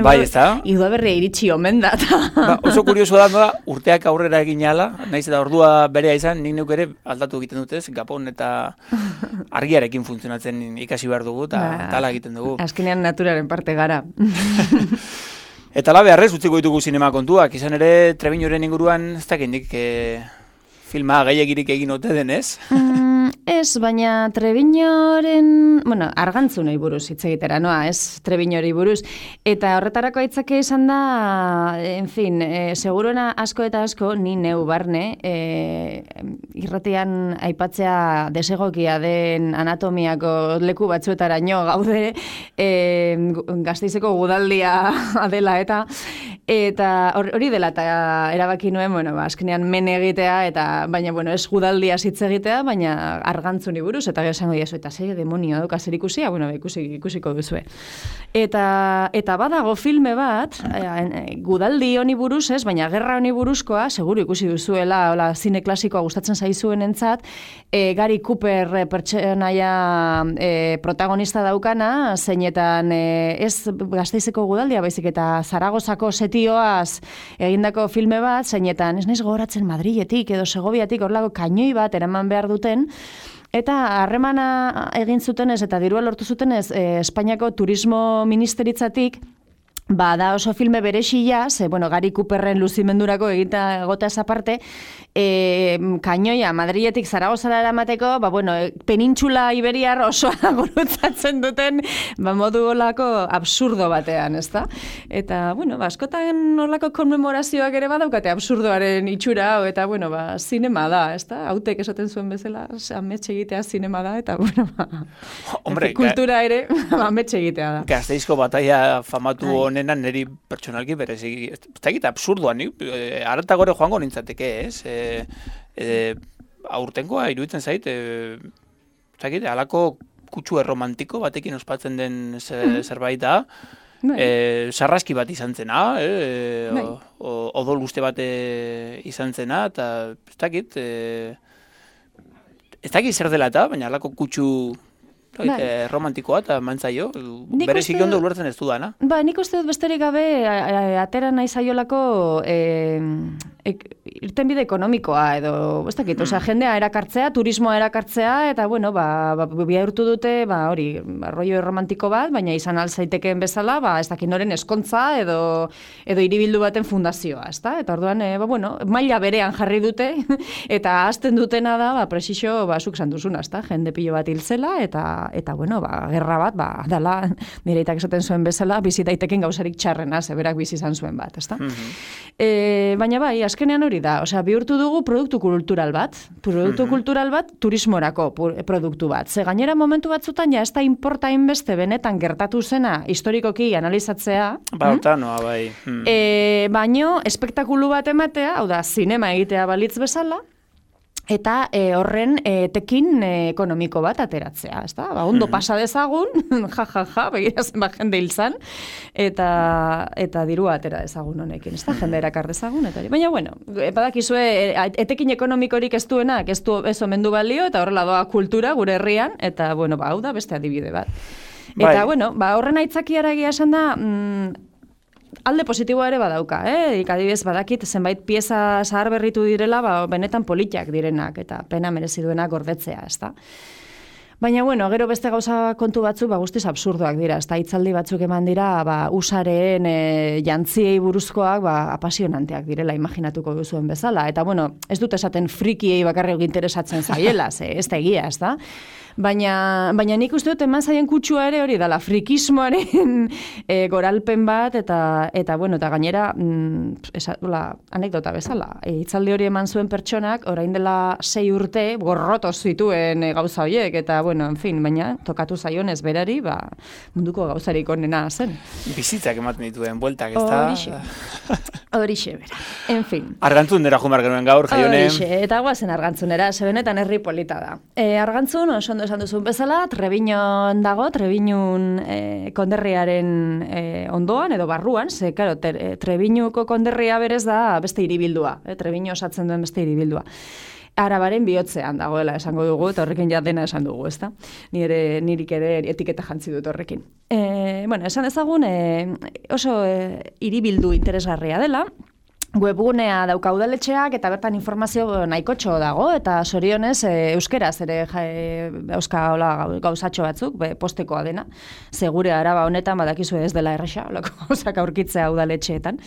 Bai, ez da? Iduaberria iritsi omen da. Ba, oso kurioso da, urteak aurrera egin ala, naiz eta ordua berea izan, nik neuk ere aldatu egiten dutez, Gabon eta argiarekin funtzionatzen ikasi behar dugu, eta tala egiten dugu. Azkenean naturaren parte gara. Eta la beharrez utziko ditugu sinema kontuak, izan ere Trebiñoren inguruan ez dakindik filma gehiagirik egin ote denez. Ez, baina Trebiñoren, bueno, Argantzunei buruz hitz egitera, noa, ez Trebiñori buruz. Eta horretarako aitzake izan da, en fin, seguruena asko eta asko, ni neu barne, irratian aipatzea desegokia den anatomiako leku batzuetaraino gaude, Gasteizeko gudaldia dela eta hori dela eta erabaki nuen, bueno, azkenean men egitea, eta baina, bueno, ez gudaldia hitz egitea, baina Argantzuni buruz, eta gero esango diazu, eta zer demonio dauka zer ikusia, bueno, ikusiko duzue. Eta badago filme bat, gudaldi honi buruz ez, baina gerra honi buruzkoa, seguru ikusi duzuela, hola, zine klasikoa gustatzen zaizuen entzat, Gary Cooper pertsonaia protagonista daukana, zeinetan ez Gasteizeko gudaldia, baizik eta Zaragozako setioaz egindako filme bat, zeinetan, ez naiz gogoratzen Madriletik edo Segoviatik horlako kainoi bat eraman behar duten, eta harremana egin zutenez eta dirua lortu zutenez Espainiako Turismo Ministeritzatik, da oso filme berexia, ze, bueno, Gary Cooperren luzimendurako egota esa parte, kainoia Madriletik Zaragozara eramateko, penintxula iberiar osoa gurutzatzen duten, modu olako absurdo batean, ezta? Eta, askotan olako konmemorazioak ere badaukate absurdoaren itxura, eta, zinema da, ezta? Hautek esaten zuen bezala, ametxe egitea zinema da, eta, Hombre, kultura ere, ametxe egitea da. Gasteizko bataia famatu honenan niri pertsonalki berezik, ez da absurdoa, arata gore joango nintzateke, ez? Aurtengoa iruditzen zait, halako kutsu erromantiko batekin ospatzen den zerbait da, sarraski bat izan zena, odol guzti bat izan zena, eta ez dakit zer dela eta, baina halako kutsu romantikoa eta mantzaio, berezik ondo ulertzen ez dudana. Nik uste dut besterik gabe atera nahi zaiolako irtenbide ekonomikoa edo, ez dakit, jendea erakartzea, turismoa erakartzea, eta, bihurtu dute, rollo romantiko bat, baina izan alzaitekeen bezala, ez dakit noren eskontza edo hiribildu baten fundazioa, ezta? Eta orduan, maila berean jarri dute, eta hasten dutena da, presixo, zuk esan duzuna, ezta? Jende pilo bat hiltzela, eta gerra bat, dala, nire itak esaten zuen bezala, bizi daiteken gauzarik txarrena, zeberak bizi izan zuen bat, ezta? Baina azkenean hori da, bihurtu dugu produktu kultural bat, turismorako produktu bat. Ze gainera momentu batzutan, ez da inporta inbeste benetan gertatu zena historikoki analizatzea. Baino, espektakulu bat ematea, hau da, zinema egitea balitz bezala, eta horren tekin ekonomiko bat ateratzea, ezta? Ondo pasa dezagun, begirazen jende hiltzan, eta dirua atera dezagun honekin, ezta? Jende erakar dezagun, eta baina, badakizue, etekin ekonomikorik ez duenak, ez omen du balio, eta horrela doa kultura gure herrian, eta, hau da beste adibide bat. Eta, horren aitzakiara egia esan da, alde positiboa ere badauka, adibidez badakit zenbait pieza zahar berritu direla, benetan politiak direnak, eta pena merezi duenak gordetzea, ezta? Baina, gero beste gauza kontu batzuk, guztiz absurdoak dira, ezta? Hitzaldi batzuk eman dira, usareen jantziei buruzkoak, apasionanteak direla, imaginatuko duzuen bezala, eta, ez dut esaten frikiei bakarrik interesatzen zaiela, ez da egia, ezta? Baina nik uste dut eman zaien kutsua ere hori dela, frikismoaren goralpen bat, eta gainera, anekdota bezala, hitzaldi hori eman zuen pertsonak, orain dela 6 urte, gorroto zituen gauza horiek, eta, baina tokatu zaionez berari, munduko gauzarik onena zen. Bizitzak ematen dituen bueltak, ez da? Horixe, bera. En fin. Argantzunera jumar genuen gaur, Jaione. Horixe, eta guazen Argantzunera, zebenetan herri polita da. Argantzun, oso ondo esan duzun bezala, Trebiñon dago, Trebiñun konderriaren ondoan, edo barruan, ze, karo, Trebiñuko konderria berez da beste hiribildua, Trebiño osatzen duen beste hiribildua. Arabaren bihotzean dagoela esango dugu, eta horrekin ja dena esan dugu, ezta? Nirik ere etiketa jantzi dut horrekin. Esan ezagun, oso hiribildu interesgarria dela, webgunea dauka udaletxeak, eta bertan informazio nahikotxo dago, eta sorionez euskeraz ere euska gauzatxo batzuk, postekoa dena, segure Araba honetan badakizu ez dela erresa, olako gauzak aurkitzea udaletxeetan.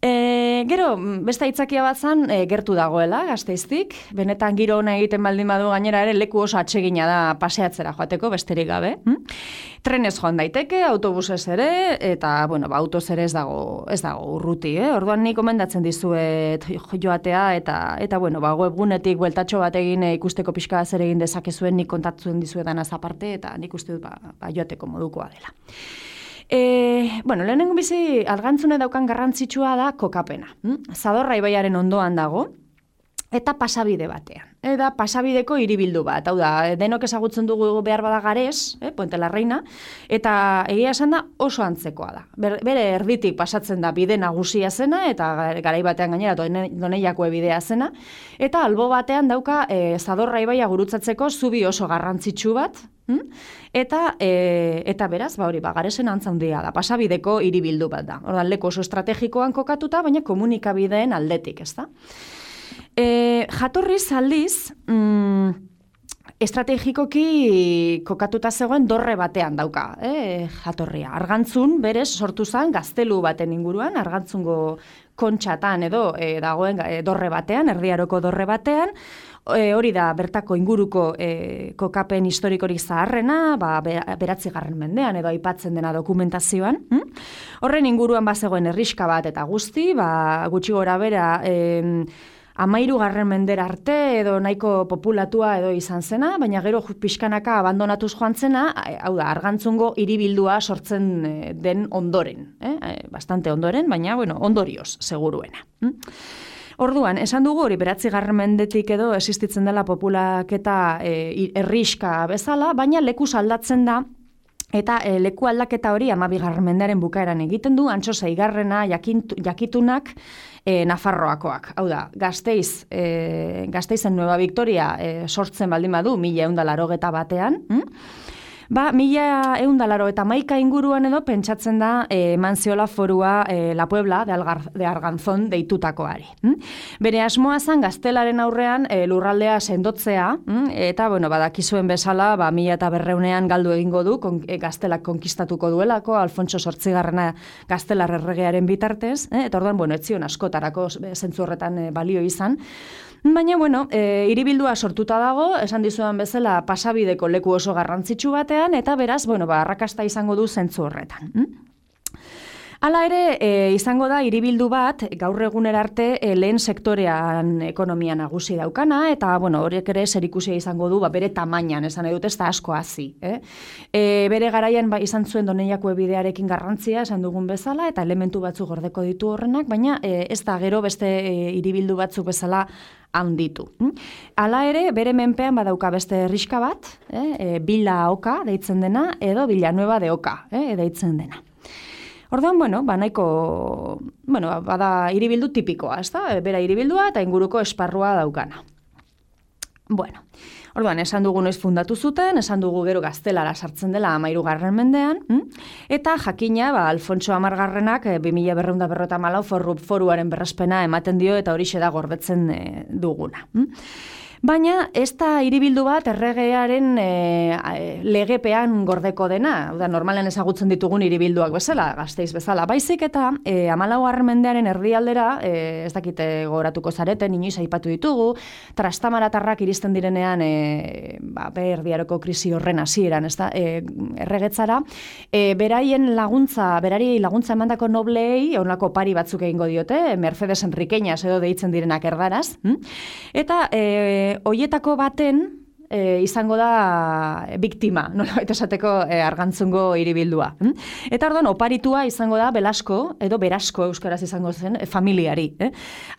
Gero, beste aitzakia bat zan, gertu dagoela, Gasteiztik. Benetan giro ona egiten baldin badu gainera ere leku oso atsegina da paseatzera joateko, besterik gabe. Trenez joan daiteke, autobusez ere, eta, autoz ere ez dago urruti, Orduan nik komendatzen dizuet joatea, eta webgunetik bueltatxo bat egin ikusteko pixka zer egin dezakezuen, nik kontatzen dizuetan aparte, eta nik uste dut joateko modukoa dela. Lehenengo bizi Argantzune daukan garrantzitsua da kokapena. Zadorra ibaiaren ondoan dago, eta pasabide batean. Eta pasabideko hiribildu bat. Hau da, denok ezagutzen dugu behar bada Gares, Puente la Reina, eta egia esan da oso antzekoa da. Bere erditik pasatzen da bide nagusia zena, eta garai batean gainera Doneiako bidea zena, eta albo batean dauka Zadorra ibaia gurutzatzeko zubi oso garrantzitsu bat, eta beraz, Garesen antza handia da, pasabideko hiribildu bat da. Ordan leku oso estrategikoan kokatuta, baina komunikabideen aldetik, ezta? Jatorriz aldiz, estrategikoki kokatuta zegoen dorre batean dauka, jatorria. Argantzun berez sortu zen gaztelu baten inguruan, Argantzungo kontxatan edo dagoen dorre batean, Erdiaroko dorre batean, hori da bertako inguruko kokapen historikorik zaharrena, beratzigarren mendean edo aipatzen dena dokumentazioan. Horren inguruan bazegoen herriska bat eta guzti, gutxi gora bera 13. mendera arte edo nahiko populatua edo izan zena, baina gero pixkanaka abandonatuz joan zena, hau da, Argantzungo hiribildua sortzen den ondoren. Bastante ondoren, baina, ondorioz, seguruena. Orduan, esan dugu hori 9. mendetik edo existitzen dela populaketa herriska bezala, baina lekuz aldatzen da, eta leku aldaketa hori 12. mendearen bukaeran egiten du, Antso 6. jakitunak Nafarroakoak. Hau da, Gasteizen Nueva Victoria sortzen baldin badu 1181-ean, 1181 inguruan edo pentsatzen da eman ziola forua La Puebla de Arganzón deitutakoari. Bere asmoa zen gaztelaren aurrean lurraldea sendotzea, eta badakizuen bezala 1200ean galdu egingo du, gaztelak konkistatuko duelako, Alfonso 8. gaztelar erregearen bitartez, eta orduan, ez zion askotarako zentzu horretan balio izan. Baina, hiribildua sortuta dago, esan dizudan bezala pasabideko leku oso garrantzitsu batean, eta beraz, arrakasta izango du zentzu horretan. Hala ere, izango da hiribildu bat, gaur egunera arte lehen sektorean ekonomia nagusi daukana, eta horiek ere zerikusia izango du bere tamainan, esan edut ez da asko hazi. Bere garaian izan zuen Doneiako bidearekin garrantzia, esan dugun bezala, eta elementu batzuk gordeko ditu horrenak, baina ez da gero beste hiribildu batzuk bezala handitu. Hala ere, bere menpean badauka beste herriska bat, Bila Oka deitzen dena, edo Villanueva de Oka deitzen dena. Orduan, nahiko, bada hiribildu tipikoa, ez da? Bera hiribildua eta inguruko esparrua daukana. Orduan, esan dugu noiz fundatu zuten, esan dugu gero gaztelara sartzen dela 13. mendean, eta jakina, Alfonso 10. 2254 foruaren berrespena ematen dio eta horixe da gordetzen duguna. Baina ez da hiribildu bat erregearen legepean gordeko dena, normalen ezagutzen ditugun hiribilduak bezala, Gasteiz bezala, baizik eta 14. mendearen erdialdera, ez dakite goratuko zareten, inoiz aipatu ditugu, trastamaratarrak iristen direnean Erdiaroko krisi horren hasieran, erregetzara, berari laguntza emandako nobleei, onlako pari batzuk egingo diote, Mercedes Enriqueñas edo deitzen direnak erdaraz, eta hoietako baten izango da biktima, nolabait esateko Argantzungo hiribildua. Eta orduan oparitua izango da Belasko, edo Berasko euskaraz izango zen, familiari.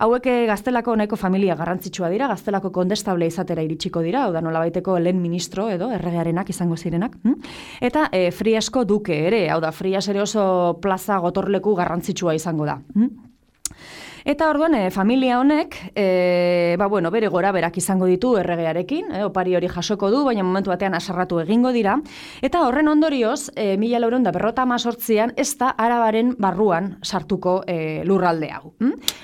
Hauek Gaztelako nahiko familia garrantzitsua dira, Gaztelako kondestable izatera iritsiko dira, hau da nolabaiteko lehen ministro edo erregearenak izango zirenak. Eta Friasko duke ere, hau da Frias ere oso plaza gotorleku garrantzitsua izango da. Eta orduan, familia honek, bere gora berak izango ditu erregearekin, opari hori jasoko du, baina momentu batean asarratu egingo dira, eta horren ondorioz, 1458an ez da Arabaren barruan sartuko lurralde hau.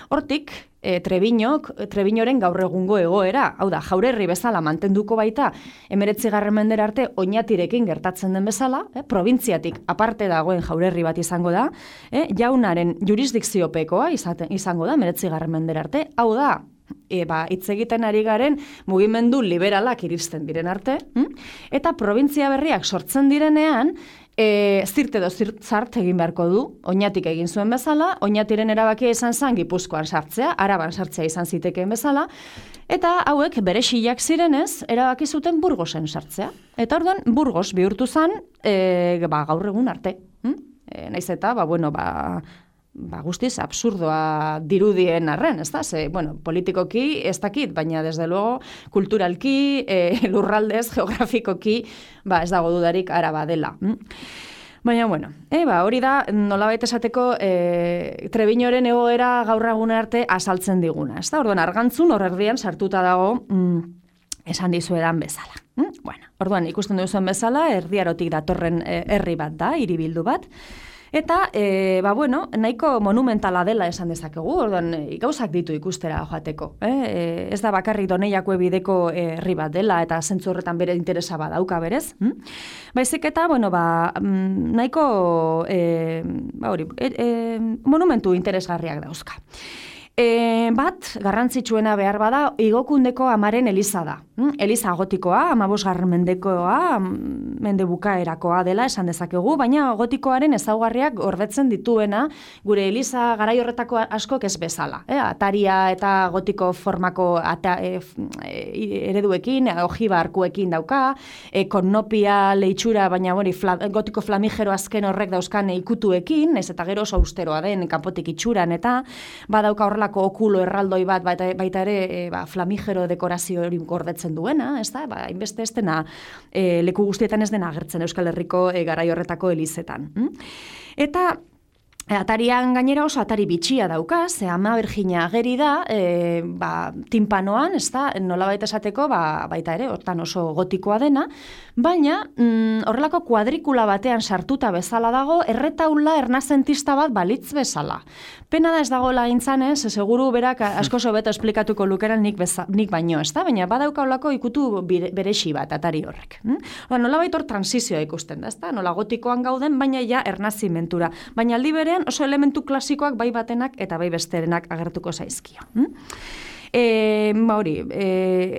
Hortik, Trebiñoren gaur egungo egoera, hau da, Jaurerri bezala mantenduko baita, 19. mendera arte Oñatirekin gertatzen den bezala, probintziatik aparte dagoen Jaurerri bat izango da, jaunaren jurisdikziopekoa izango da, 19. mendera arte, hau da, hitz egiten ari garen mugimendu liberalak iristen diren arte, eta probintzia berriak sortzen direnean, zirt edo zart egin beharko du, Oñatik egin zuen bezala, Oñatiren erabakia izan zen Gipuzkoan sartzea, Araban sartzea izan zitekeen bezala, eta hauek bere xilak zirenez, erabaki zuten Burgosen sartzea. Eta orduan, Burgos bihurtu zen, gaur egun arte. Naiz eta, guztiz absurdoa dirudien arren, ez da? Politikoki ez dakit, baina desde luego kulturalki, lurraldez, geografikoki, ez dago dudarik Araba dela. Baina, hori da, nolabait esateko Trebiñoren egoera gaur egun arte azaltzen diguna, ez da? Orduan, Argantzun hor erdian sartuta dago esan dizuedan bezala. Orduan, ikusten duzuen bezala, Erdiarotik datorren herri bat da, hiribildu bat, Eta, nahiko monumentala dela esan dezakegu, orduan gauzak ditu ikustera joateko. Ez da bakarrik Doneiako bideko herri bat dela, eta zentzu horretan bere interesa badauka berez. Baizik eta, nahiko monumentu interesgarriak dauzka. Bat, garrantzitsuena behar bada, Igokundeko amaren eliza da. Eliza gotikoa, 15. mendekoa, mende bukaerakoa dela esan dezakegu, baina gotikoaren ezaugarriak gordetzen dituena gure eliza garai horretako askok ez bezala. Ataria eta gotiko formako ereduekin, ojiba arkuekin dauka, konnopia leitxura, baina gotiko flamigero azken horrek dauzkan ikutuekin, ez eta gero oso austeroa den kanpotik itxuran, eta badauka horrelako okulo erraldoi bat, baita ere flamigero dekorazio hori gordetzen duena, ez da? Hainbeste ez dena, leku guztietan ez dena agertzen Euskal Herriko garai horretako elizetan. Eta atarian gainera oso atari bitxia dauka, ze Ama Birjina ageri da, timpanoan, ez da, nolabait esateko, baita ere, hortan oso gotikoa dena, baina horrelako kuadrikula batean sartuta bezala dago, erretaula ernazentista bat balitz bezala. Pena da ez dagoela gintzanez, seguru berak asko hobeto esplikatuko lukeran nik baino, ez da? Baina badauka holako ikutu berexi bat atari horrek. Nolabait hor transizioa ikusten da, ez da? Nola gotikoan gauden, baina ja ernazimentura. Baina aldi berean oso elementu klasikoak bai batenak eta bai besterenak agertuko zaizkio.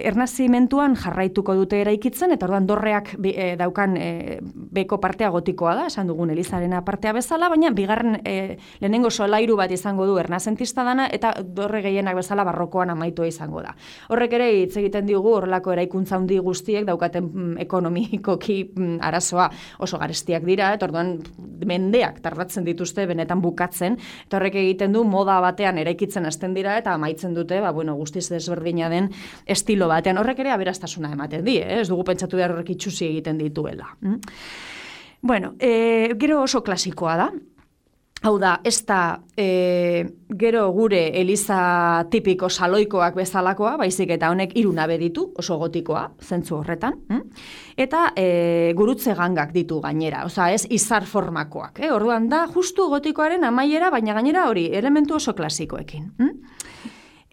Ernazimentuan jarraituko dute eraikitzen, eta orduan dorreak daukan beko partea gotikoa da, esan dugun Elizarena partea bezala, baina bigarren lehenengo solairu bat izango du ernazentista dana, eta dorre gehienak bezala barrokoan amaitua izango da. Horrek ere hitz egiten digu horrelako eraikuntza handi guztiek daukaten ekonomikoki arazoa oso garestiak dira, eta orduan mendeak tardatzen dituzte benetan bukatzen, eta horrek egiten du moda batean eraikitzen hasten dira, eta amaitzen dute, guztiz desberdina den estilo batean. Horrek ere aberastasuna ematen di, ez dugu pentsatu behar horrek itxusi egiten dituela. Gero oso klasikoa da. Hau da, ez da gero gure eliza tipiko saloikoak bezalakoa, baizik eta honek 3 nabe ditu, oso gotikoa, zentzu horretan. Eta gurutze gangak ditu gainera, ez izar formakoak. Orduan da, justu gotikoaren amaiera, baina gainera hori, elementu oso klasikoekin.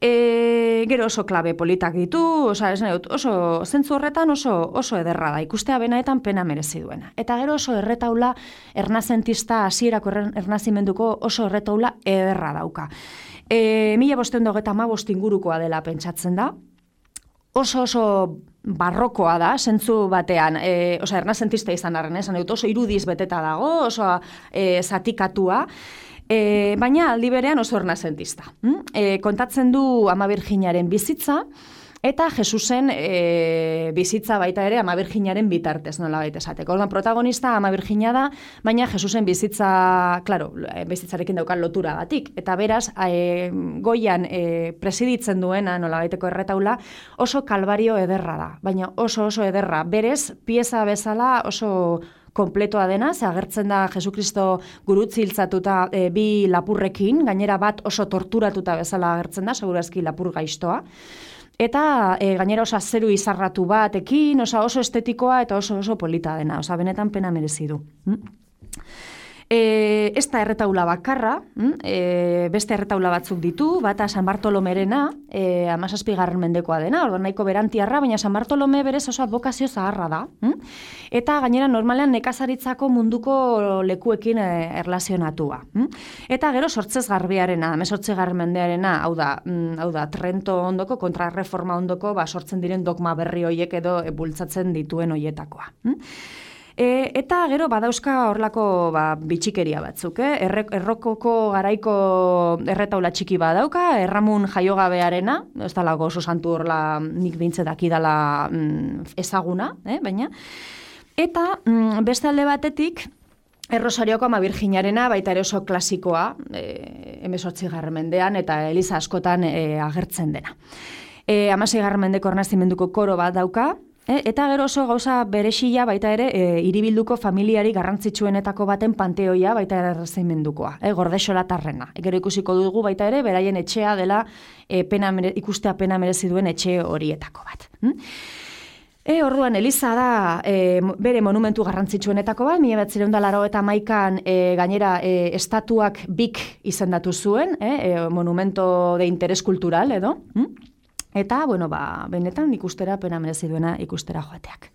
Gero oso klabe politak ditu, oso zentzu horretan oso ederra da, ikustea benaetan pena merezi duena. Eta gero oso erretaula ernazentista hasierako ernazimenduko oso erretaula ederra dauka. 1525 ingurukoa dela pentsatzen da, oso barrokoa da, zentzu batean, ernazentista izan arren, oso irudiz beteta dago, oso zatikatua, baina aldi berean oso ernazentista. Kontatzen du Ama Birjinaren bizitza, eta Jesusen bizitza baita ere Ama Birjinaren bitartez, nolabait esateko. Orduan protagonista Ama Birjina da, baina Jesusen bizitza, bizitzarekin daukan lotura batik. Eta beraz, goian presiditzen duena nolabaiteko erretaula oso kalbario ederra da, baina oso ederra. Berez, pieza bezala oso kompletoa dena, ze agertzen da Jesukristo gurutzi hiltzatuta 2 lapurrekin, gainera bat oso torturatuta bezala agertzen da, segurazki lapur gaiztoa. Eta gainera oso azeru izarratu batekin, oso estetikoa eta oso polita dena, benetan pena merezi du. Ez da erretaula bakarra, beste erretaula batzuk ditu, bata San Bartolomerena, 17. mendekoa dena, orduan nahiko berantiarra, baina San Bartolome berez oso advokazio zaharra da. Eta gainera normalean nekazaritzako munduko lekuekin erlazionatua. Eta gero sortzez garbiarena, 18. mendearena, hau da Trento ondoko, kontrarreforma ondoko, sortzen diren dogma berri hoiek edo bultzatzen dituen hoietakoa. Eta gero badauzka horlako bitxikeria batzuk, errokoko garaiko erretaula txiki badauka, Erramun jaiogabearena, ez dalago oso santu horla nik bintze dakidala ezaguna, baina. Eta beste alde batetik, Errosarioko Ama Birjinarena baita ere oso klasikoa, 18. mendean eta eliza askotan agertzen dena. 16. mendeko ernazimenduko koro bat dauka, eta gero oso gauza berexila baita ere hiribilduko familiari garrantzitsuenetako baten panteoia baita ere ernazimendukoa, Gordexolatarrena. Gero ikusiko dugu baita ere beraien etxea dela ikustea pena merezi duen etxe horietako bat. Orduan, Eliza da bere monumentu garrantzitsuenetako bat, 1981an gainera estatuak BIK izendatu zuen, monumento de interés cultural edo, eta, bueno, benetan ikustera pena merezi duena ikustera joateak.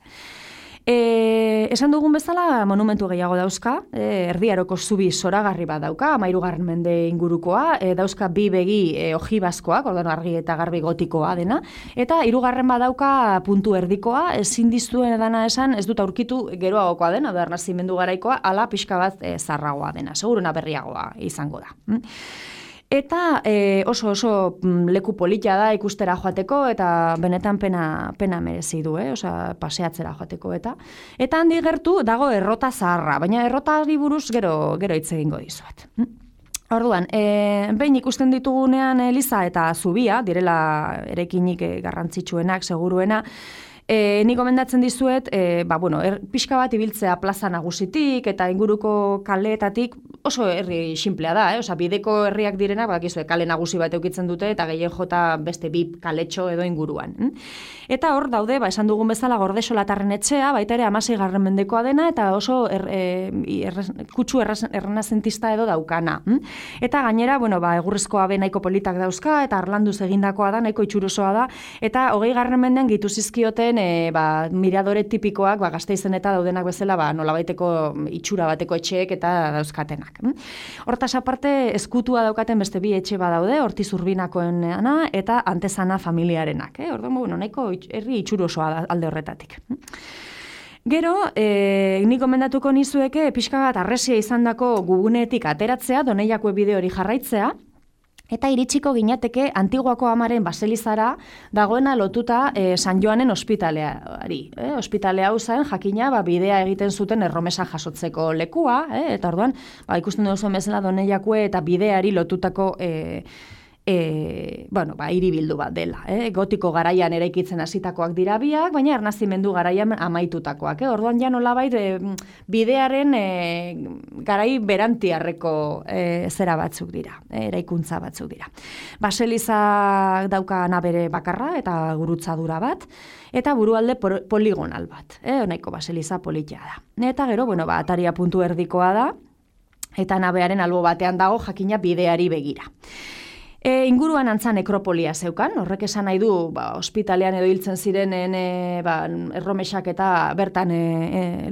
Esan dugun bezala monumentu gehiago dauzka, Erdi Aroko zubi zoragarri bat dauka, 13. mende ingurukoa, dauzka bi begi ojibazkoak, ordan argi eta garbi gotikoa dena, eta 3. bat dauka puntu erdikoa, ezin dizuen dana esan, ez dut aurkitu geroagokoa dena, da ernazimendu garaikoa, ala pixka bat zarragoa dena, seguruna berriagoa izango da. Eta oso leku polita da ikustera joateko eta benetan pena merezi du, osea paseatzera joateko eta handi gertu dago errota zaharra, baina errotari buruz gero hitz egingo dizuet. Orduan, behin ikusten ditugunean Eliza eta zubia, direla eraikinik garrantzitsuenak, seguruena, Ni gomendatzen dizuet, pixka bat ibiltzea plaza nagusitik eta inguruko kaleetatik oso herri sinplea da, Osea, bideko herriak direnak, badakizue, kale nagusi bat eukitzen dute eta gehien jota beste bi kaletxo edo inguruan. Eta hor daude, esan dugun bezala Gordesolatarren etxea, baita ere 16. mendekoa dena eta oso kutsu errenazentista edo daukana. Eta gainera, egurrezkoa be nahiko politak dauzka eta harlanduz egindakoa da, nahiko itxurosoa da, eta 20. mendean gehitu zizkioten miradore tipikoak Gasteizen eta daudenak bezala nolabaiteko itxura bateko etxeek eta dauzkatenak. Hortaz aparte eskutua daukaten beste bi etxe badaude, Ortiz Urbinakoena eta Antezana familiarenak. Orduan, nahiko herri itxurosoa da alde horretatik. Gero, nik gomendatuko nizueke pixka bat arresia izandako gugunetik ateratzea, Doneiako bide hori jarraitzea, eta iritsiko ginateke Antiguako Amaren baselizara dagoena lotuta San Joanen ospitaleari. Ospitale hau zen, jakina, bidea egiten zuten erromesa jasotzeko lekua, eta orduan, ikusten duzu bezala Doneiakue eta bideari lotutako hiribildu bat dela. Gotiko garaian eraikitzen hasitakoak dira biak, baina ernazimendu garaian amaitutakoak. Orduan ja nolabait bidearen garai berantiarreko zera batzuk dira, eraikuntza batzuk dira. Baseliza dauka nabere bakarra eta gurutzadura bat, eta burualde poligonal bat. Nahiko baseliza politia da. Eta gero, ataria puntu erdikoa da, eta nabearen albo batean dago jakina bideari begira. Inguruan antza nekropolia zeukan, horrek esan nahi du ospitalean edo hiltzen zirenen erromesak eta bertan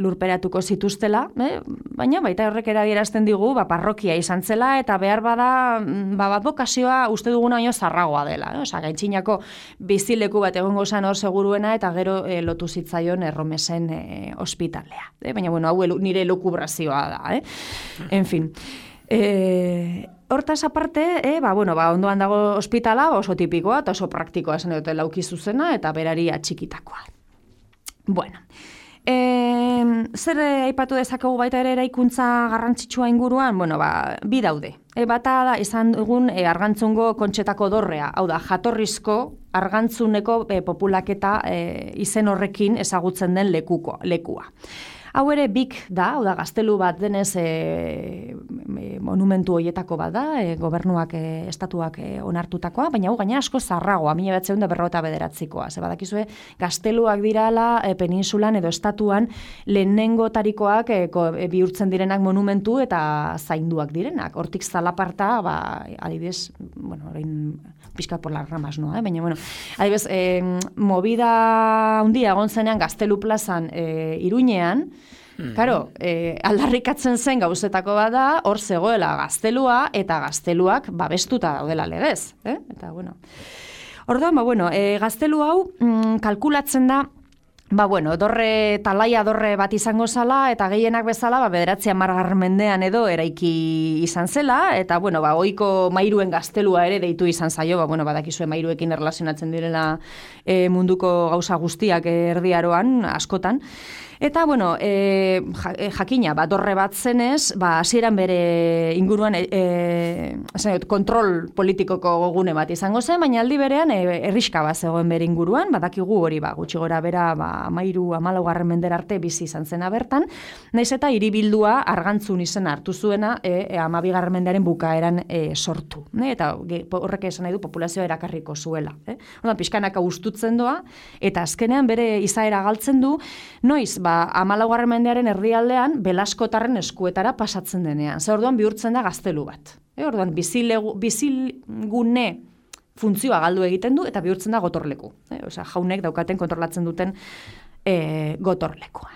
lurperatuko zituztela, baina baita horrek adierazten digu parrokia izan zela eta behar bada bokazioa uste duguna baino zarragoa dela. Osea, Gaintxinako bizileku bat egongo zen hor seguruena eta gero lotu zitzaion erromesen ospitalea. Baina hau nire lukubrazioa da. En fin. Hortaz aparte, ondoan dago ospitala, oso tipikoa eta oso praktikoa esan dute lauki zuzena eta berari atxikitakoa. Bueno, zer aipatu dezakegu baita ere eraikuntza garrantzitsua inguruan? Bi daude. Bata da izan dugun Argantzungo Kontxetako dorrea, hau da, jatorrizko Argantzuneko populaketa izen horrekin ezagutzen den lekua. Hau ere BIK da, hau da, gaztelu bat denez monumentu hoietako bat da, gobernuak, estatuak onartutakoa, baina hau gaina asko zarragoa, 1959koa. Badakizue, gazteluak dirala peninsulan edo estatuan lehenengotarikoak bihurtzen direnak monumentu eta zainduak direnak. Hortik zalaparta, adibidez, orain pixka por las ramas, noa, baina, adibidez, movida handia egon zenean Gaztelu plazan Iruñean, Karo, aldarrikatzen zen gauzetako bat da, hor zegoela gaztelua eta gazteluak babestuta daudela legez. Eta, orduan, gaztelu hau kalkulatzen da, talaia dorre bat izango zala, eta gehienak bezala, 9. mendean edo eraiki izan zela, eta, ohiko mairuen gaztelua ere deitu izan zaio, badakizue mairuekin erlazionatzen direla munduko gauza guztiak Erdi Aroan, askotan. Eta, jakina, dorre bat zenez, hasieran bere inguruan kontrol politikoko gune bat izango zen, baina aldi berean herriska bat zegoen bere inguruan, badakigu hori gutxi gora bera 14 mendera arte bizi izan zena bertan, naiz eta hiribildua Argantzun izena hartu zuena 12. mendearen bukaeran sortu. Eta horrek esan nahi du populazioa erakarriko zuela. Pixkanaka ustutzen doa, eta azkenean bere izaera galtzen du, noiz, 14. mendearen erdialdean Belaskotarren eskuetara pasatzen denean. Ze orduan bihurtzen da gaztelu bat. Orduan bizilgune funtzioa galdu egiten du eta bihurtzen da gotorleku. Osea, jaunek daukaten kontrolatzen duten gotorlekua.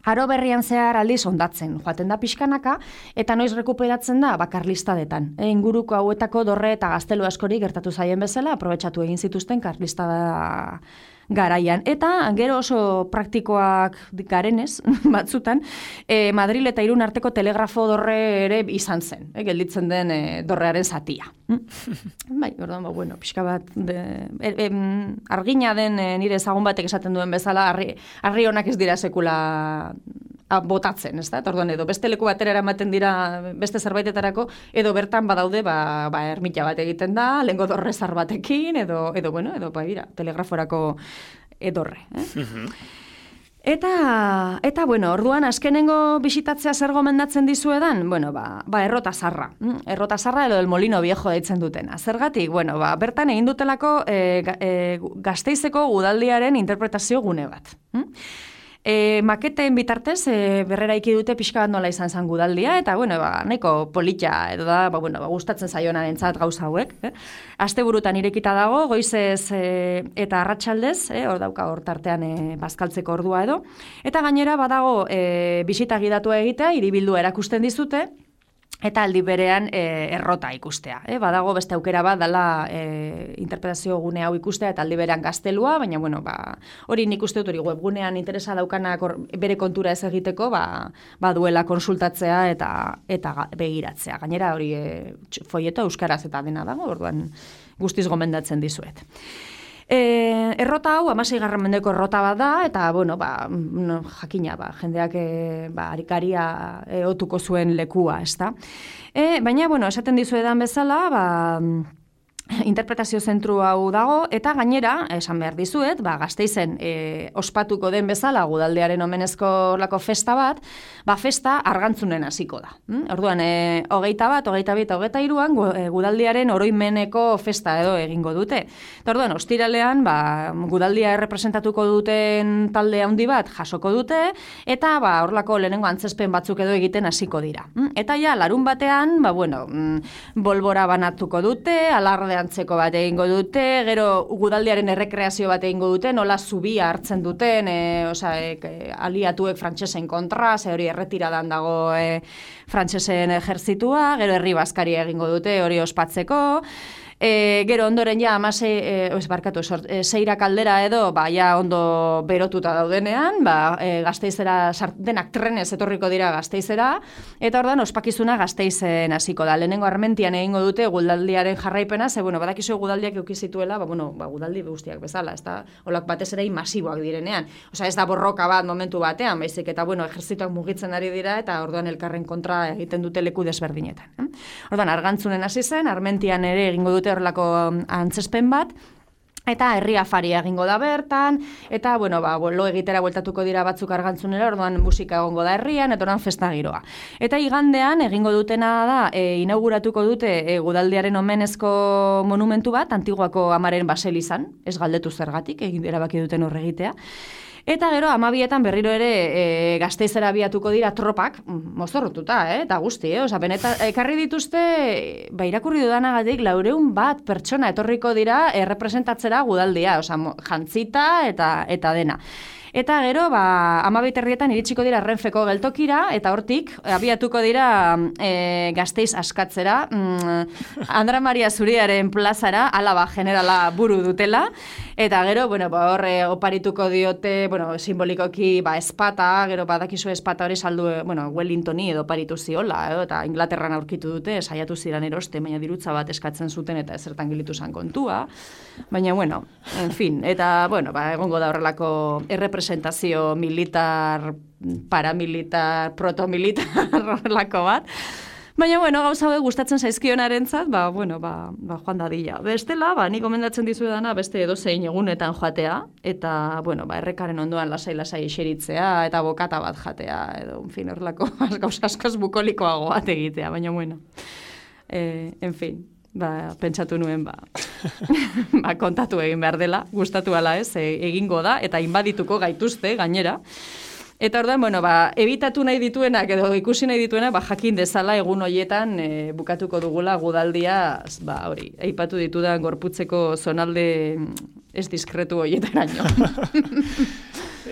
Aro berrian zehar aldiz ondatzen joaten da pixkanaka, eta noiz rekuperatzen da karlistadetan. Inguruko hauetako dorre eta gaztelu askori gertatu zaien bezala, aprobetxatu egin zituzten karlistada garaian. Eta gero oso praktikoak garenez, batzutan, Madril eta Irun arteko telegrafo dorre ere izan zen, gelditzen den dorrearen zatia. Bai, orduan, bueno, pixka bat, argina den nire ezagun batek esaten duen bezala, arri honak ez dira sekula botatzen, ez da? Orduan, edo beste leku batera eramaten dira beste zerbaitetarako, edo bertan badaude, ermita bat egiten da, lehengo dorrezar batekin, edo telegraforako edorre. Eta bueno, orduan, azkenengo bisitatzea zer gomendatzen dizuedan? Bueno, Errota Zarra. Errota Zarra edo el Molino Viejo deitzen dutena. Zergatik? Bueno, bertan egin dutelako Gasteizeko udaldiaren interpretazio gune bat. Maketeen bitartez, berrera dute pixka bat nola izan zen gudaldia, eta, bueno, nahiko polita, edo da, gustatzen zaionarentzat gauza hauek. Asteburutan irekita dago, goizez eta arratsaldez, hor tartean bazkaltzeko ordua edo. Eta gainera badago bisita gidatua egitea, hiribildua erakusten dizute, eta aldi berean errota ikustea. Badago beste aukera bat dela interpretazio gune hau ikustea eta aldi berean gaztelua, baina bueno, hori nik uste dut hori webgunean interesa daukanak bere kontura ez egiteko, duela konsultatzea eta begiratzea. Gainera hori folleto euskaraz eta dena dago, orduan guztiz gomendatzen dizuet. Errota hau, 16. mendeko errota bat da, eta, bueno, jakina, jendeak arikaria otuko zuen lekua, ez da. Baina, bueno, esaten dizuedan bezala, interpretazio zentru hau dago, eta gainera, esan behar dizuet, Gasteizen ospatuko den bezala gudaldearen omenezko lako festa bat, festa Argantzunen hasiko da. Orduan, 21, 22 eta 23 gudaldiaren oroimeneko festa edo egingo dute. Eta orduan, ostiralean, gudaldia errepresentatuko duten talde handi bat jasoko dute, eta horlako lehenengo antzespen batzuk edo egiten hasiko dira. Eta ja, larun batean, bolbora banatuko dute, alarde antzeko bat egingo dute, gero gudaldiaren errekreazio bat egingo dute, nola zubia hartzen duten, aliatuek frantsesen kontra, hori erretiradan dago frantsesen ejertzitua, gero herri bazkari egingo dute hori ospatzeko, gero ondoren ja seira kaldera edo ja ondo berotuta daudenean, Gasteizera denak trenez etorriko dira Gasteizera, eta ordan ospakizuna Gasteizen hasiko da. Lehenengo Armentian egingo dute gudaldiaren jarraipena, ze badakizu gudaldiak eduki zituela, gudaldi guztiak bezala, ez da olak batez ere masiboak direnean. Osea, ez da borroka bat momentu batean, baizik eta ejertzitoak mugitzen ari dira eta orduan elkarren kontra egiten dute leku desberdinetan. Orduan Argantzunen hasi zen, Armentian ere egingo dute horrelako antzespen bat, eta herri afaria egingo da bertan, eta, lo egitera bueltatuko dira batzuk Argantzunera, orduan musika egongo da herrian, eta orduan festa giroa. Eta igandean egingo dutena da, inauguratuko dute gudaldiaren omenezko monumentu bat, Antiguako amaren baselizan, ez galdetu zergatik, erabaki duten horregitea. Eta gero, 12etan berriro ere Gasteizera abiatuko dira tropak, mozorrotuta, eta guzti, benetan, ekarri dituzte, irakurri dudanagatik, 400 pertsona etorriko dira errepresentatzera gudaldia, jantzita eta dena. Eta gero, 12:30 iritsiko dira Renfeko geltokira, eta hortik, abiatuko dira Gasteiz askatzera, Andra Maria Zuriaren plazara, Alaba generala buru dutela, eta gero, horre oparituko diote, simbolikoki, espata, gero badakizu espata hori saldu, Wellingtoni edo oparitu ziola, eta Inglaterran aurkitu dute, saiatu ziren eroste, baina dirutza bat eskatzen zuten, eta ezertan gilitu zan kontua, baina, en fin, eta, egongo da horrelako errepresentazio militar, paramilitar, protomilitar, horrelako bat. Baina, bueno, gauza hauek gustatzen zaizkionarentzat, bueno, joan dadila. Bestela, ni gomendatzen dizuedana beste edozein egunetan joatea, eta, bueno, errekaren ondoan lasai-lasai eseritzea, eta bokata bat jatea, edo, en fin, horrelako gauza askoz bukolikoago bat egitea, baina, bueno, en fin, pentsatu nuen, kontatu egin behar dela, gustatu ala ez, egingo da, eta inbadituko gaituzte, gainera. Eta orduan, bueno, ebitatu nahi dituenak edo ikusi nahi dituenak, jakin dezala egun hoietan bukatuko dugula gudaldia, hori, aipatu ditudan gorputzeko zonalde ez diskretu hoietaraino.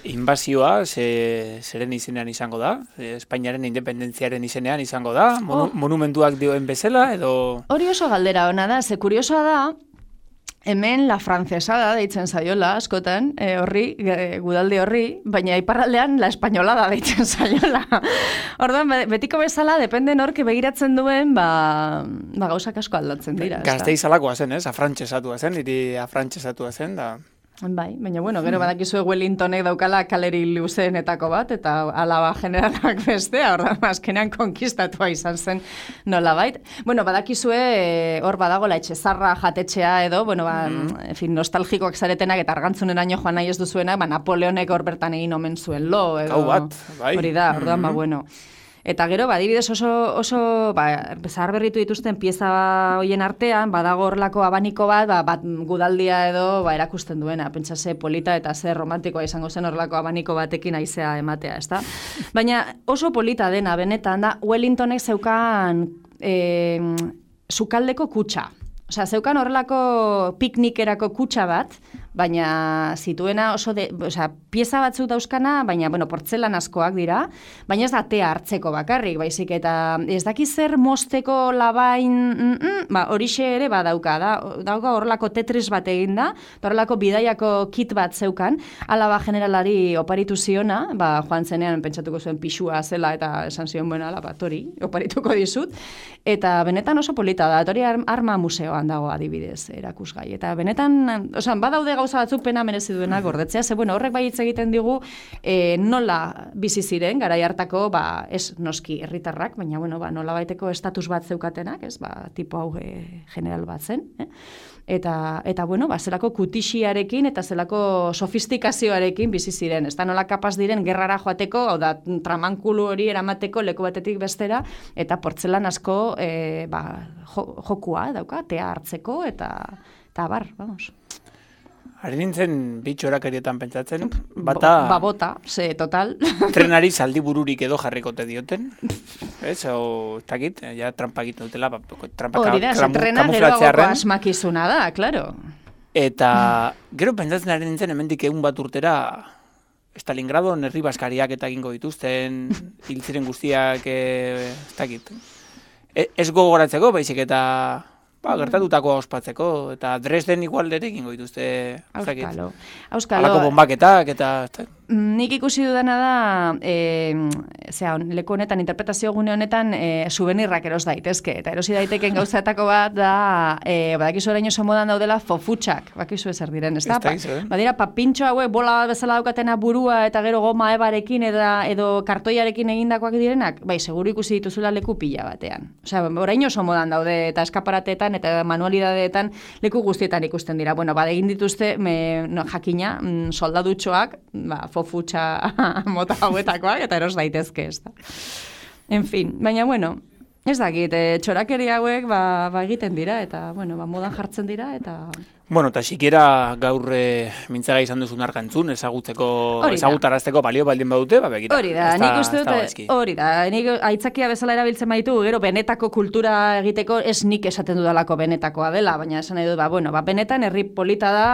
Inbazioa, zeren izenean izango da? Espainiaren independentziaren izenean izango da? Monumentuak dioen bezala, edo... Hori oso galdera ona da, ze kuriosoa da, hemen la francesada deitzen zaiola askotan, gudaldi horri, baina iparraldean la espainolada deitzen zaiola. Orduan, betiko bezala, depende nork begiratzen duen, gauzak asko aldatzen dira. Gasteizalakoa zen, ez? Afrantxesatua zen, niri afrantxesatua zen, da... Bai, baina bueno, gero badakizue Wellingtonek daukala kaleri luzeenetako bat, eta alaba generalak bestea, ordan azkenean konkistatua izan zen nolabait. Bueno, badakizue hor badagola etxezarra jatetxea edo, bueno, en fin, nostalgikoak zaretenak eta argantzuneraino joan nahi ez duzuenak, Napoleonek hor bertan egin omen zuen lo, edo... Hau bat, bai. Hori da, ordan, bueno... Eta gero, adibidez oso zahar berritu dituzten pieza hoien artean, badago horlako abaniko bat gudaldia edo erakusten duena. Pentsa ze polita eta ze romantikoa izango zen horlako abaniko batekin aizea ematea, ezta? Baina oso polita dena, benetan da, Wellingtonek zeukan sukaldeko kutxa. Osea, zeukan horrelako piknikerako kutxa bat, baina zituena pieza batzuk dauzkana, baina, bueno, portzelanazkoak dira, baina ez da tea hartzeko bakarrik, baizik, eta ez daki zer mosteko labain, horixe ere badauka, dauka horrelako tetris bat eginda, horrelako bidaiako kit bat zeukan, alaba generalari oparitu ziona, joan zenean pentsatuko zuen pixua zela, eta esan zion, bueno, alaba, tori, oparituko dizut, eta benetan oso polita da, tori arma museoan dago adibidez erakusgai, eta benetan, badaude gauza batzuk pena merezi duena gordetzea, ze bueno, horrek bai hitz egiten digu nola bizi ziren garai hartako, ez noski herritarrak, baina bueno, nola baiteko estatus bat zeukatenak, ez, tipo hau general bat zen, eta bueno, zelako kutixiarekin eta zelako sofistikazioarekin bizi ziren, ez da nola kapaz diren gerrara joateko, hau da, tramankulu hori eramateko leku batetik bestera, eta portzelan asko jokua dauka, tea hartzeko, eta bar, vamos. Hari nintzen bitxorakerietan pentsatzen, bata... Bota, total. Trenari zaldi bururik edo jarrikote dioten, ez, o, ez dakit, ja trampa egiten dutela, trampa kamuflatzearen. Asmakizuna da, klaro. Eta gero pentsatzen hari nintzen, hemendik egun bat urtera, Stalingradon herri baskariak eta egingo dituzten, hiltziren guztiak, ez dakit. Ez gogoratzeko, baizik eta... gertatutakoa ospatzeko, eta Dresden igualdere egingo dituzte, Auskalo. Halako bombaketak, eta... Nik ikusi dudana da, leku honetan, interpretazio gune honetan, subenirrak eros daitezke, eta erosi daiteken gauzetako bat da, badakizu orain oso modan daudela fofutxak, bakizu ezer diren, ez da? Badira, papintxo hauek bola bezala daukatena burua, eta gero goma ebarekin, edo kartoiarekin egindakoak direnak, bai, seguru ikusi dituzula leku pila batean. Osea, orain oso modan daude, eta eskaparatetan, eta manualidadeetan leku guztietan ikusten dira. Bueno, egin dituzte, jakina, soldadutxoak, fofutxa mota hauetakoak, eta eros daitezke, ez da. En fin, baina, bueno, ez dakit, txorakeri hauek egiten dira, eta, bueno, modan jartzen dira, eta... Bueno, eta sikiera gaur mintzaga izan duzun arkantzun, ezagutarazteko balio baldin badute, begira. Hori da, nik uste dut, hori da, nik aitzakia bezala erabiltzen baitu, gero benetako kultura egiteko, ez nik esaten dudalako benetakoa dela, baina esan nahi dut, benetan herri polita da,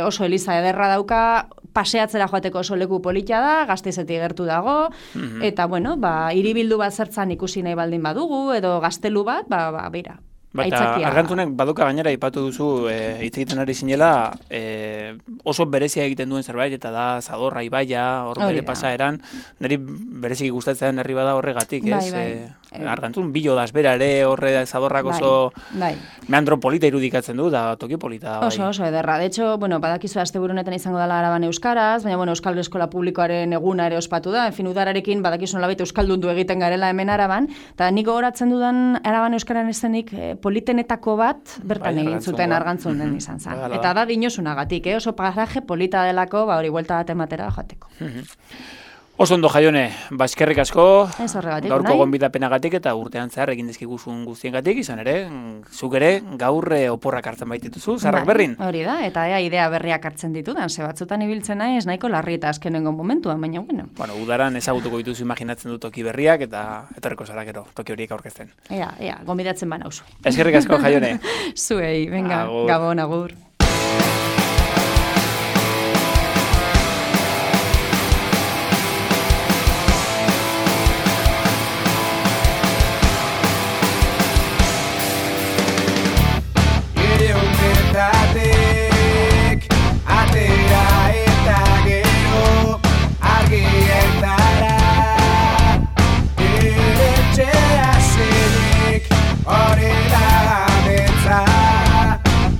oso eliza ederra dauka, paseatzera joateko oso leku polita da, Gasteizetik gertu dago, eta, bueno, hiribildu bat zertzan ikusi nahi baldin badugu, edo gaztelu bat, beira. Eta argantzunek baduka gainera ipatu duzu hitz egiten ari zinela oso berezia egiten duen zerbait, eta da Zadorra ibaia, hor bere pasaeran, niri bereziki gustatzen herri bada horregatik, ez? Argantzun, Bilodaz bera ere horre zaborrak oso Bai. meandro polita irudikatzen du, da toki polita da. Bai. Oso ederra. De hecho, badakizu asteburu honetan izango dela Araban euskaraz, baina Euskal Eskola Publikoaren eguna ere ospatu da. Udararekin badakizu nolabait euskaldundu egiten garela hemen Araban, eta nik gogoratzen dudan Araban euskaran ezenik politenetako bat bertan egin zuten Argantzunen izan zen. Eta da dinosunagatik, oso paraje polita delako, hori buelta bat ematera joateko. Oso ondo Jaione, eskerrik asko, Ez horregatik, gaurko nahi? gonbidapenagatik eta urtean zehar egin dizkiguzun guztiengatik, izan ere, zuk ere gaur oporrak hartzen baitituzu, Zarrak Berrin. Hori da, eta idea berriak hartzen ditudan, ze batzutan ibiltzen naiz nahiko larri eta azkenengo momentuan, baina bueno. Bueno, udaran ezagutuko dituzu imaginatzen du toki berriak eta etorriko zara gero, toki horiek aurkezten. Ea, gonbidatzen banauzu. Eskerrik asko Jaione. Zuei, venga, Agur. Gabon, agur. Ireumetatik atera eta gero argietara etxea zenik hori da betza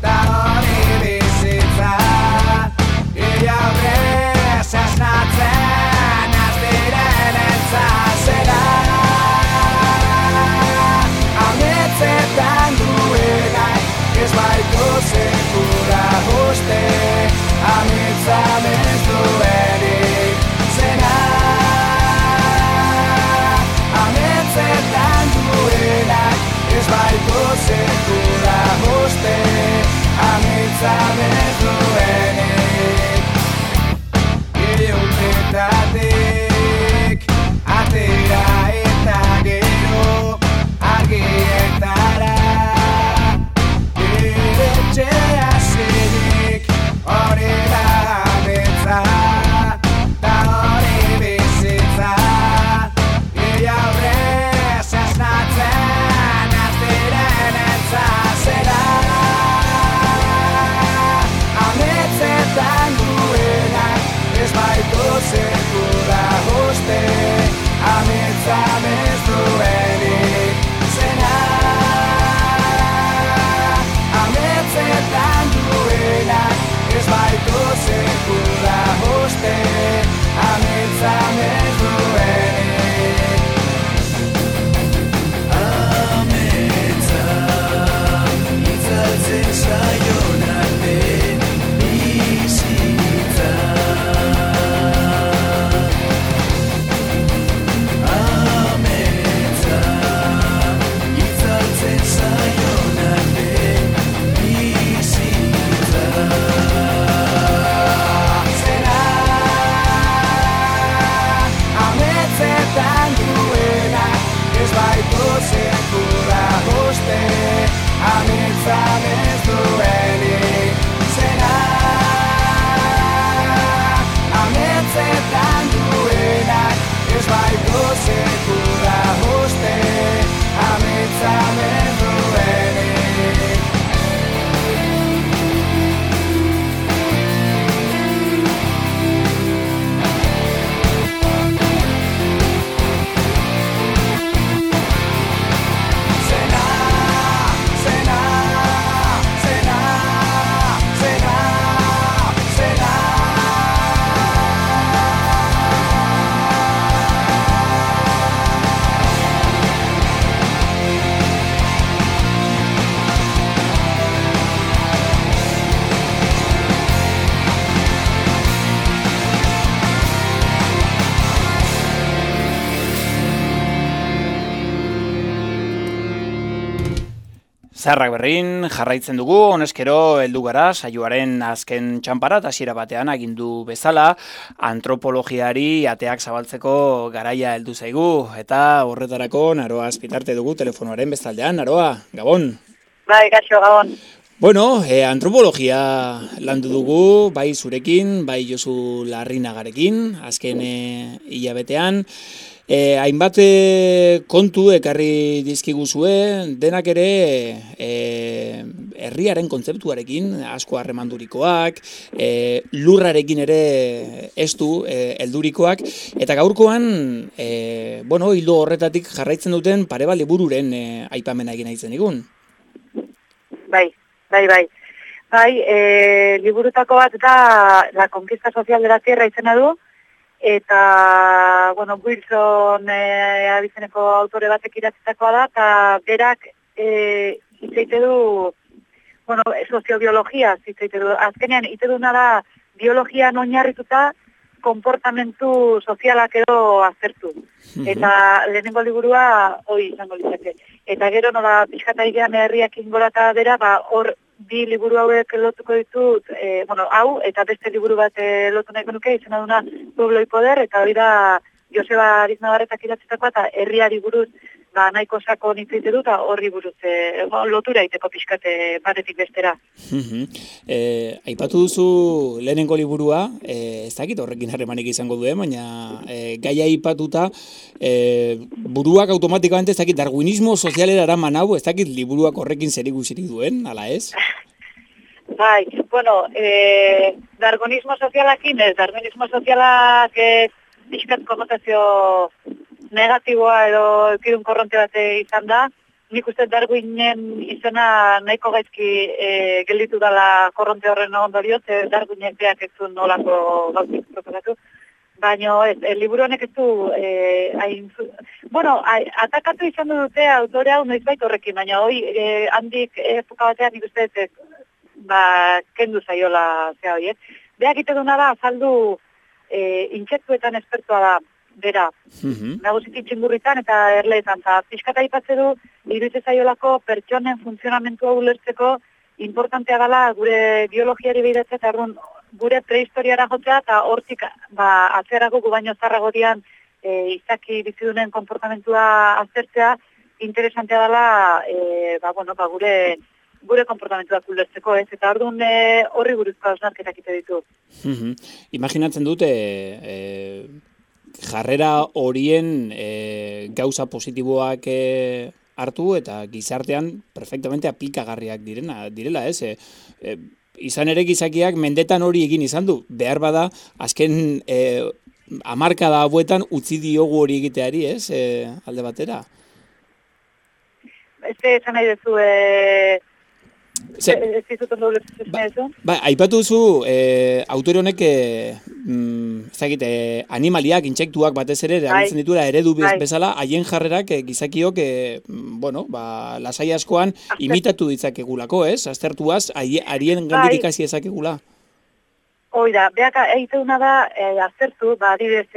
da hori bizitza iaurrez asnatzen azdiren entzazera ametzetan duenak ez baitu sekura uste amitzan ez duenik zena ametzetan duenak ez baitu sekura uste amitzan ez duenik ireumetatik atera eta gero argietara etxea zenik hori da betza da hori bizitza iaurrez asnatzen azdiren entzazera ametzetan duenak ez baitu sekura uste ametzan ez duenik zena ametzetan duenak ez baitu sekura uste ametzan ez duenik ametza itzaltzen zaion arte bizitza ametza itzaltzen zaion arte zena ametzetan duenak ez baitu sekura uste ametzan ez duenik zena ametzetan duenak ez baitu sekura uste ametzan ez duenik zena Zarrak Berrin jarraitzen dugu, honezkero heldu gara saioaren azken txanpara, hasiera batean agindu bezala, antropologiari ateak zabaltzeko garaia heldu zaigu, eta horretarako Naroa Azpitarte dugu telefonoaren bestaldean. Naroa, Gabon. Bai, gaixo, Gabon. Bueno, antropologia landu dugu, bai zurekin, bai Josu Larrinagarekin, azken hilabetean. Hainbat kontu ekarri dizkiguzue, denak ere herriaren kontzeptuarekin, asko harremandurikoak, lurrarekin ere estu heldurikoak, eta gaurkoan, hildo horretatik jarraitzen duten pare bat libururen aipamena egin nahi zenigun. Bai. Liburutako bat da La Conquista Social de la Tierra izena du, eta, Wilson abizeneko autore batek idatzitakoa da, eta berak hitzeite du, soziobiologia hitzeite du. Azkenean, hitze duna da biologian oinarrituta konportamentu sozialak edo aztertu. Eta lehenengo liburua hoi izango litzake. Eta gero nola pixkata idean herriak ingorata bera, hor bi liburu hauek lotuko ditut, hau eta beste liburu bat lotu nahiko nuke, izena duna Pueblo y Poder, eta hori da Joseba Ariznabarretak idatzitakoa, eta herriari buruz nahiko sako nitzeite dut, eta horri buruz lotura iteko pixkate batetik bestera. Aipatu duzu lehenengo liburua, ez dakit horrekin harremanik izango duen, baina gaia aipatuta, buruak automatikamente ez dakit darwinismo sozialera eraman hau, ez dakit liburuak horrekin zerikusirik duen, ala ez? Bai, darwinismo sozialakin ez, darwinismo sozialak pixkat konotazio negatiboa edo eukidun korronte bate izan da. Nik uste Darwinen izena nahiko gaizki gelditu dela korronte horren ondorioz, Darwinen beak ez du nolako gauzik proposatu. Baina liburu honek ez du atakatu izan dute autore hau noizbait horrekin, baina handik epoka batean nik uste kendu zaiola zea hori. Beak ite duna da, azaldu intsektuetan espertua da, bera, nagusiki txingurritan eta erleetan, eta pixkata ipatze du, iruditzen zaiolako pertsonen funtzionamentua ulertzeko importantea dela gure biologiari behiratzea, eta gure prehistoriara jotzea, eta hortik atzerako gu baino zarrago dian izaki bizidunen konportamentua aztertzea, interesantea dela, gure konportamentuak ulertzeko, ez? Eta orduan horri buruzko hausnarketak ite ditu. Imaginatzen dute, jarrera horien gauza positiboak hartu eta gizartean perfectamente aplikagarriak direla, ez? Izan ere gizakiak mendetan hori egin izan du. Behar bada, azken hamarkada hauetan utzi diogu hori egiteari, ez? Alde batera. Esan nahi duzu, ez dizuten doble zuzen. Aipatu duzu, autore honek, animaliak, intsektuak batez ere, erabiltzen dituela eredu bezala, haien jarrerak gizakiok, lasai askoan imitatu ditzakegulako, ez? Aztertuaz, harien gandik ikasi ezakegula. Hoi da, beak egiteuna da, aztertu, adibidez,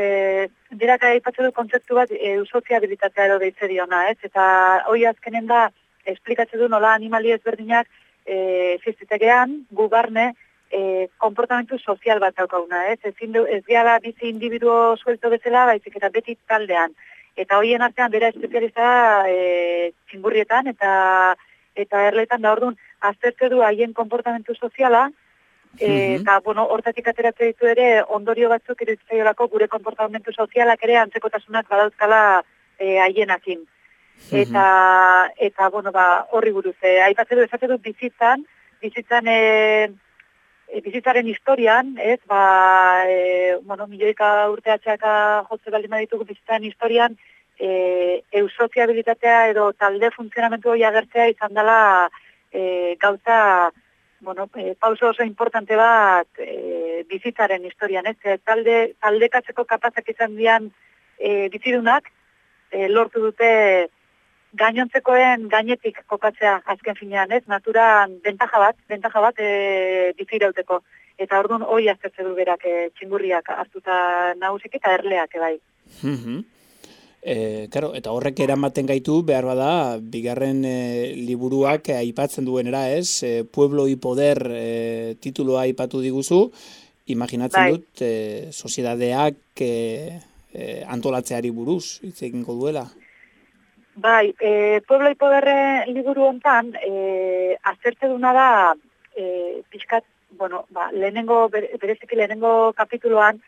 berak aipatzen du kontzeptu bat, eusoziabilitatea edo deitze diona, ez? Eta hoi azkenen da, esplikatzen du nola animali ezberdinak, existitegean, gu barne, konportamentu sozial bat daukaguna, ez? Ez gehala bizi individuo suelto bezala, baizik eta beti taldean. Eta hoien artean bera espezializa txingurrietan eta erletan da orduan aztertu du haien konportamentu soziala, eta, hortatik ateratzen ditu ere ondorio batzuk iruditzaiolako gure konportamentu sozialak ere antzekotasunak badauzkala haienakin. Eta horri buruz, aipatzen du, esatzen du bizitzaren historian, ez, milioika urteatxeaka jotze baldin baditugu bizitzaren historian, eusoziabilitatea edo talde funtzionamentu hori agertzea izan dela gauza, pauso oso importante bat bizitzaren historian, ez, taldekatzeko kapazak izan dian bizidunak, lortu dute gainontzekoen gainetik kokatzea azken finean, ez? Naturan bentaja bat bizirauteko. Eta orduan hori aztertzen du berak txingurriak hartuta nagusik eta erleak bai. Eta horrek eramaten gaitu, behar bada, bigarren liburuak aipatzen duenera, ez? Pueblo y Poder tituloa aipatu diguzu, imaginatzen dut, soziedadeak antolatzeari buruz, hitz egingo duela. Bai, Pueblo y Poder liburu hontan, aztertze duna da, pixkat, bueno, bereziki lehenengo kapituloan,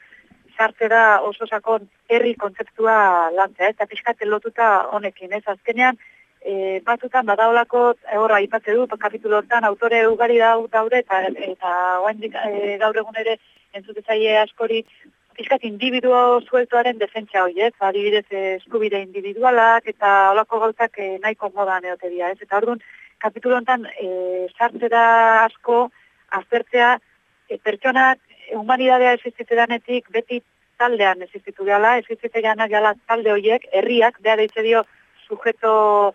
sartze da oso sakon herri kontzeptua lantzea, eta pixkat lotuta honekin, ez? Azkenean, batutan badaolako, horra aipatze du, kapitulo hontan autore ugari daude, eta oraindik gaur egun ere entzutzaile askori, pixkat individuo sueltoaren defentsa hori, ez? Adibidez, eskubide individualak eta holako gauzak nahiko modan egote dira, ez? Eta orduan, kapitulo honetan sartze da asko aztertzea pertsonak humanidadea existitzedanetik beti taldean existitu gala, existitzeanak gala talde horiek, herriak, beha deitze dio sujeto,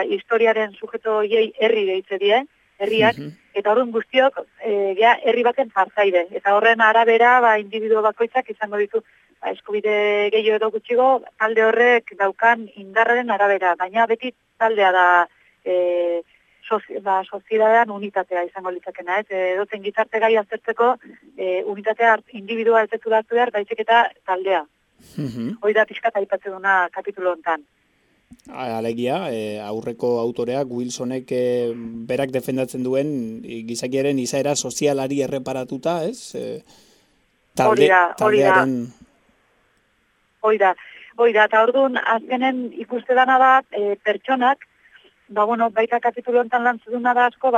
historiaren sujeto horiei herri deitze die, herriak, eta orduan guztiok herri baten partaide. Eta horren arabera, individuo bakoitzak izango ditu eskubide gehiago edo gutxigo, talde horrek daukan indarraren arabera, baina beti taldea da soziedadean unitatea izango litzakena, ez? Edoten gizarte gai aztertzeko unitatea individua ez detu hartu behar, baizik eta taldea. Hoi da pixkat aipatzen duna kapitulo hontan. Alegia, aurreko autoreak Wilsonek berak defendatzen duen gizakiaren izaera sozialari erreparatuta, ez? Taldearen... Hoi da, eta orduan azkenen ikuste dana da pertsonak, baita kapitulo hontan lantzuduna da asko,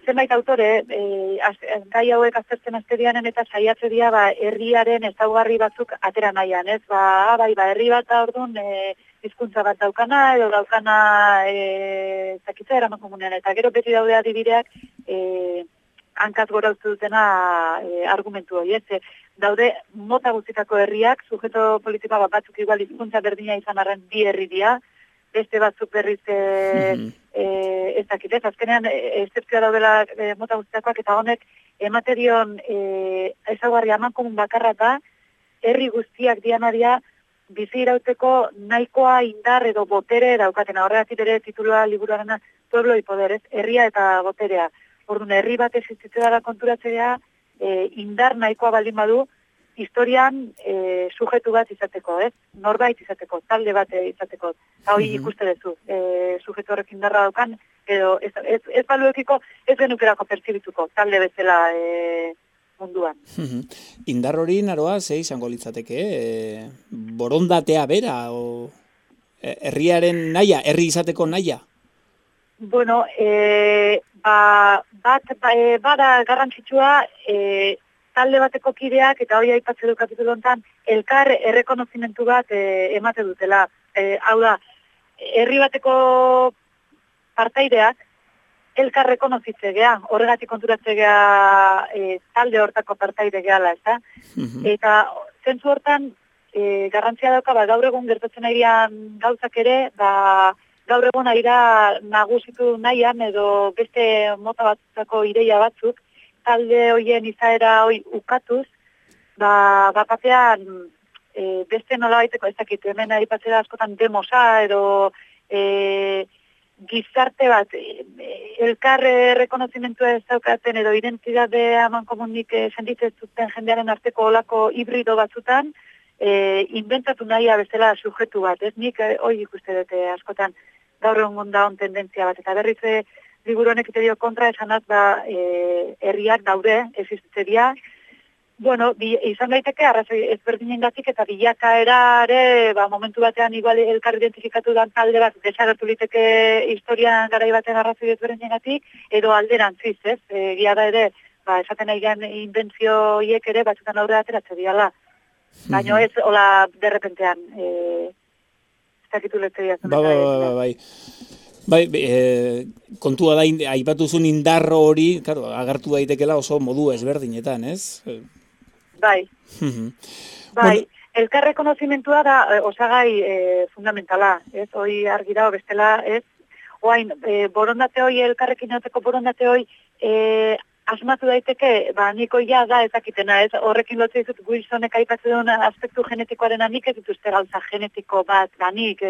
zenbait autore, gai hauek aztertzen azterianen eta saiatze dira herriaren ezaugarri batzuk atera nahian, ez? Herri bat da orduan hizkuntza bat daukana, edo daukana zakitza eraman komunean, eta gero beti daude adibideak hankaz gora uste dutena argumentu hori, ez? Daude mota guztitako herriak, sujeto politikoa batzuk igual hizkuntza berdina izan arren bi herri dira, beste batzuk berriz ez dakit, ez azkenean excepzioa daudela mota guztiakoak, eta honek emate dion ezaugarri aman komun bakarra da, herri guztiak dianaria bizi irauteko nahikoa indar edo botere daukatena. Horregatik ere titulua liburuarena Pueblo y Poder, ez? Herria eta boterea. Orduan, herri bat existitzen dara konturatzea indar nahikoa baldin badu, historian sujetu bat izateko, ez? Norbait izateko, talde bat izateko. Eta hori ikuste duzu, sujetu horrek indarra daukan, edo ez baluekiko, ez genukerako pertsibituko, talde bezala munduan. Indar hori naroa, ze izango litzateke, borondatea bera, o herriaren naia, herri izateko naia? Bueno, bada garrantzitsua, talde bateko kideak, eta hori aipatze du kapitulu honetan, elkar errekonozimentu bat emate dutela. Hau da, herri bateko partaideak, elkar rekonozitze gea, horregatik konturatze gea talde hortako partaide gehala, ez da? Eta zentzu hortan, garrantzia dauka, gaur egun gertatzen airean gauzak ere, gaur egun aira nagusitu nahian, edo beste mota batzako ideia batzuk, talde hoien izaera hoi ukatuz, batean beste nola baiteko ez dakit, hemen aipatzera askotan demosa, edo gizarte bat, elkar rekonozimentua ez daukaten, edo identitate aman komunik sentitzen zuten jendearen arteko olako hibrido batzutan, inventatu nahia bezala sujetu bat, ez? Nik hori ikuste dute askotan gaur egun da on tendentzia bat, eta berriz liburu honek ite dio kontra esanaz herriak daude, existitzeria. Bueno, izan daiteke arrazoi ezberdinengatik eta bilakaerare momentu batean igual elkar identifikatu dan talde bat desagertu liteke historian garai baten arrazoi ezberdinengatik, edo alderantziz, ez? Egia da ere, esaten nahi gen inbentzio hiek ere batzutan aurre ateratze diala. Baina ez, hola, derrepentean, ez dakitu letzea. Bai, kontua da, aipatuzun indarro hori, claro, agertu daitekela oso modu ezberdinetan, ez? Bai, elkar rekonozimentua da osagai fundamentala, ez? Hoi argi dago bestela, ez? Oain, borondate hoi, elkarrekin egoteko borondate hoi, asmatu daiteke, niko ja da ezakitena, ez? Horrekin lotzen dizut Wilsonek aipatzen duen aspektu genetikoaren nik ez dituzte gauza genetiko bat, nik,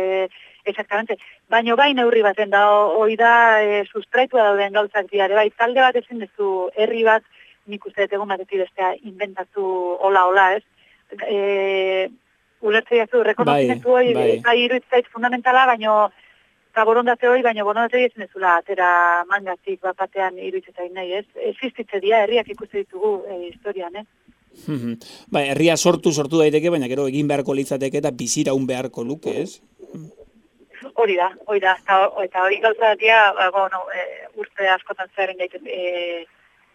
exactamente. Baina bai neurri baten da, hoi da sustraitua dauden gauzak diare, bai, talde bat ezin duzu herri bat, nik uste dut egun batetik bestea inventatu hola, ez? ulertzea zu, rekonozimentu hori, bai iruditzait fundamentala, baino, eta borondate hori, baino borondate hori ezin ezula, atera mangatik bat batean iruditzaitain nahi, ez? Existitze dira, herriak ikuste ditugu historian, Bai, herria sortu daiteke, baina gero egin beharko litzateke eta biziraun beharko luke, ez? Hori da, eta hori gauza dira, bueno, urte askotan zeharen gaiten,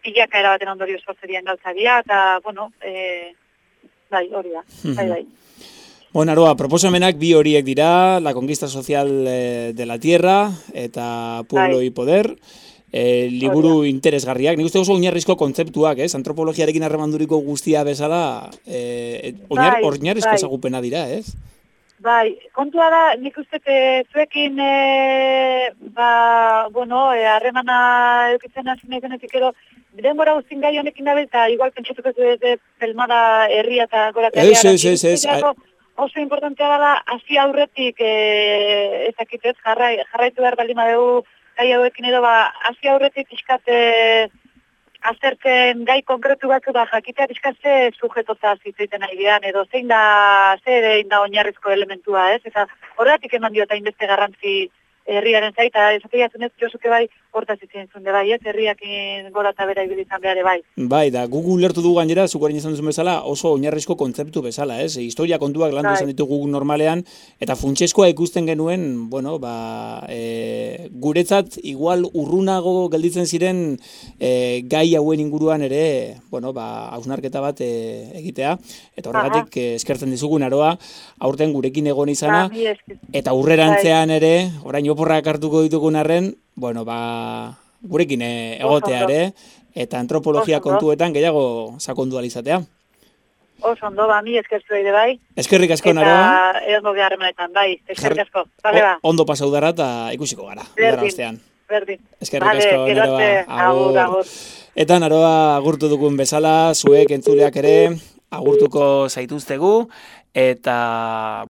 pilaka erabaten ondorio sortzerian gauza dira, eta, bueno, bai, hori da, bai. Bueno, Aroa, proposamenak bi horiek dira, la conquista social de la tierra eta pueblo y poder, liburu interesgarriak. Nik uste oso oinarrizko kontzeptuak, ez? Antropologiarekin harremanduriko guztia bezala, oinarrizko ezagupena dira, ez? Bai, kontua da, nik uste zuekin, harremana eukitzen hasi nahi zenetik edo, denbora guztin gai honekin dabe, eta igual pentsatuko ez pelmada herria eta goratea. Ez. Oso importantea dela, hasi aurretik, ezakitez, jarraitu behar baldin badegu gai hauekin edo, hasi aurretik pixkate aztertzen gai konkretu batzu jakitea pixkatze sujetotaz hitzaiten nahi gehan, edo zein da oinarrizko elementua, ez? Eta horretik eman diota inbeste garrantzi herriaren zaita, esatea zunez, Josuke bai, hortaz itzen zunde bai, ez? Herriakin gora eta bera ibilitzen behar bai. Bai, da, Google lertu dugu gainera, zukoaren izan duzun bezala, oso oinarrizko kontzeptu bezala, ez? Historia kontuak landu izan ditu Google normalean, eta funtseskoa ikusten genuen, bueno, guretzat, igual urrunago gelditzen ziren gai hauen inguruan ere, bueno, hausnarketa bat egitea, eta horregatik eskertzen dizugun Aroa, aurten gurekin egon izana, eta urrerantzean ere, orain oporrak hartuko ditugun arren, bueno, gurekin egotea ere, eta antropologia kontuetan gehiago sakondu alizatea. Oso ondo, mi eskertu ere bai. Eskerrik asko, Aroa. Eta edo beharremanetan, bai, eskerrik asko. Bale ba. Ondo pasau dara eta ikusiko gara. Berdin. Eskerrik asko, Aroa. Agur. Eta Aroa agurtu dugun bezala, zuek entzuleak ere agurtuko zaituztegu, eta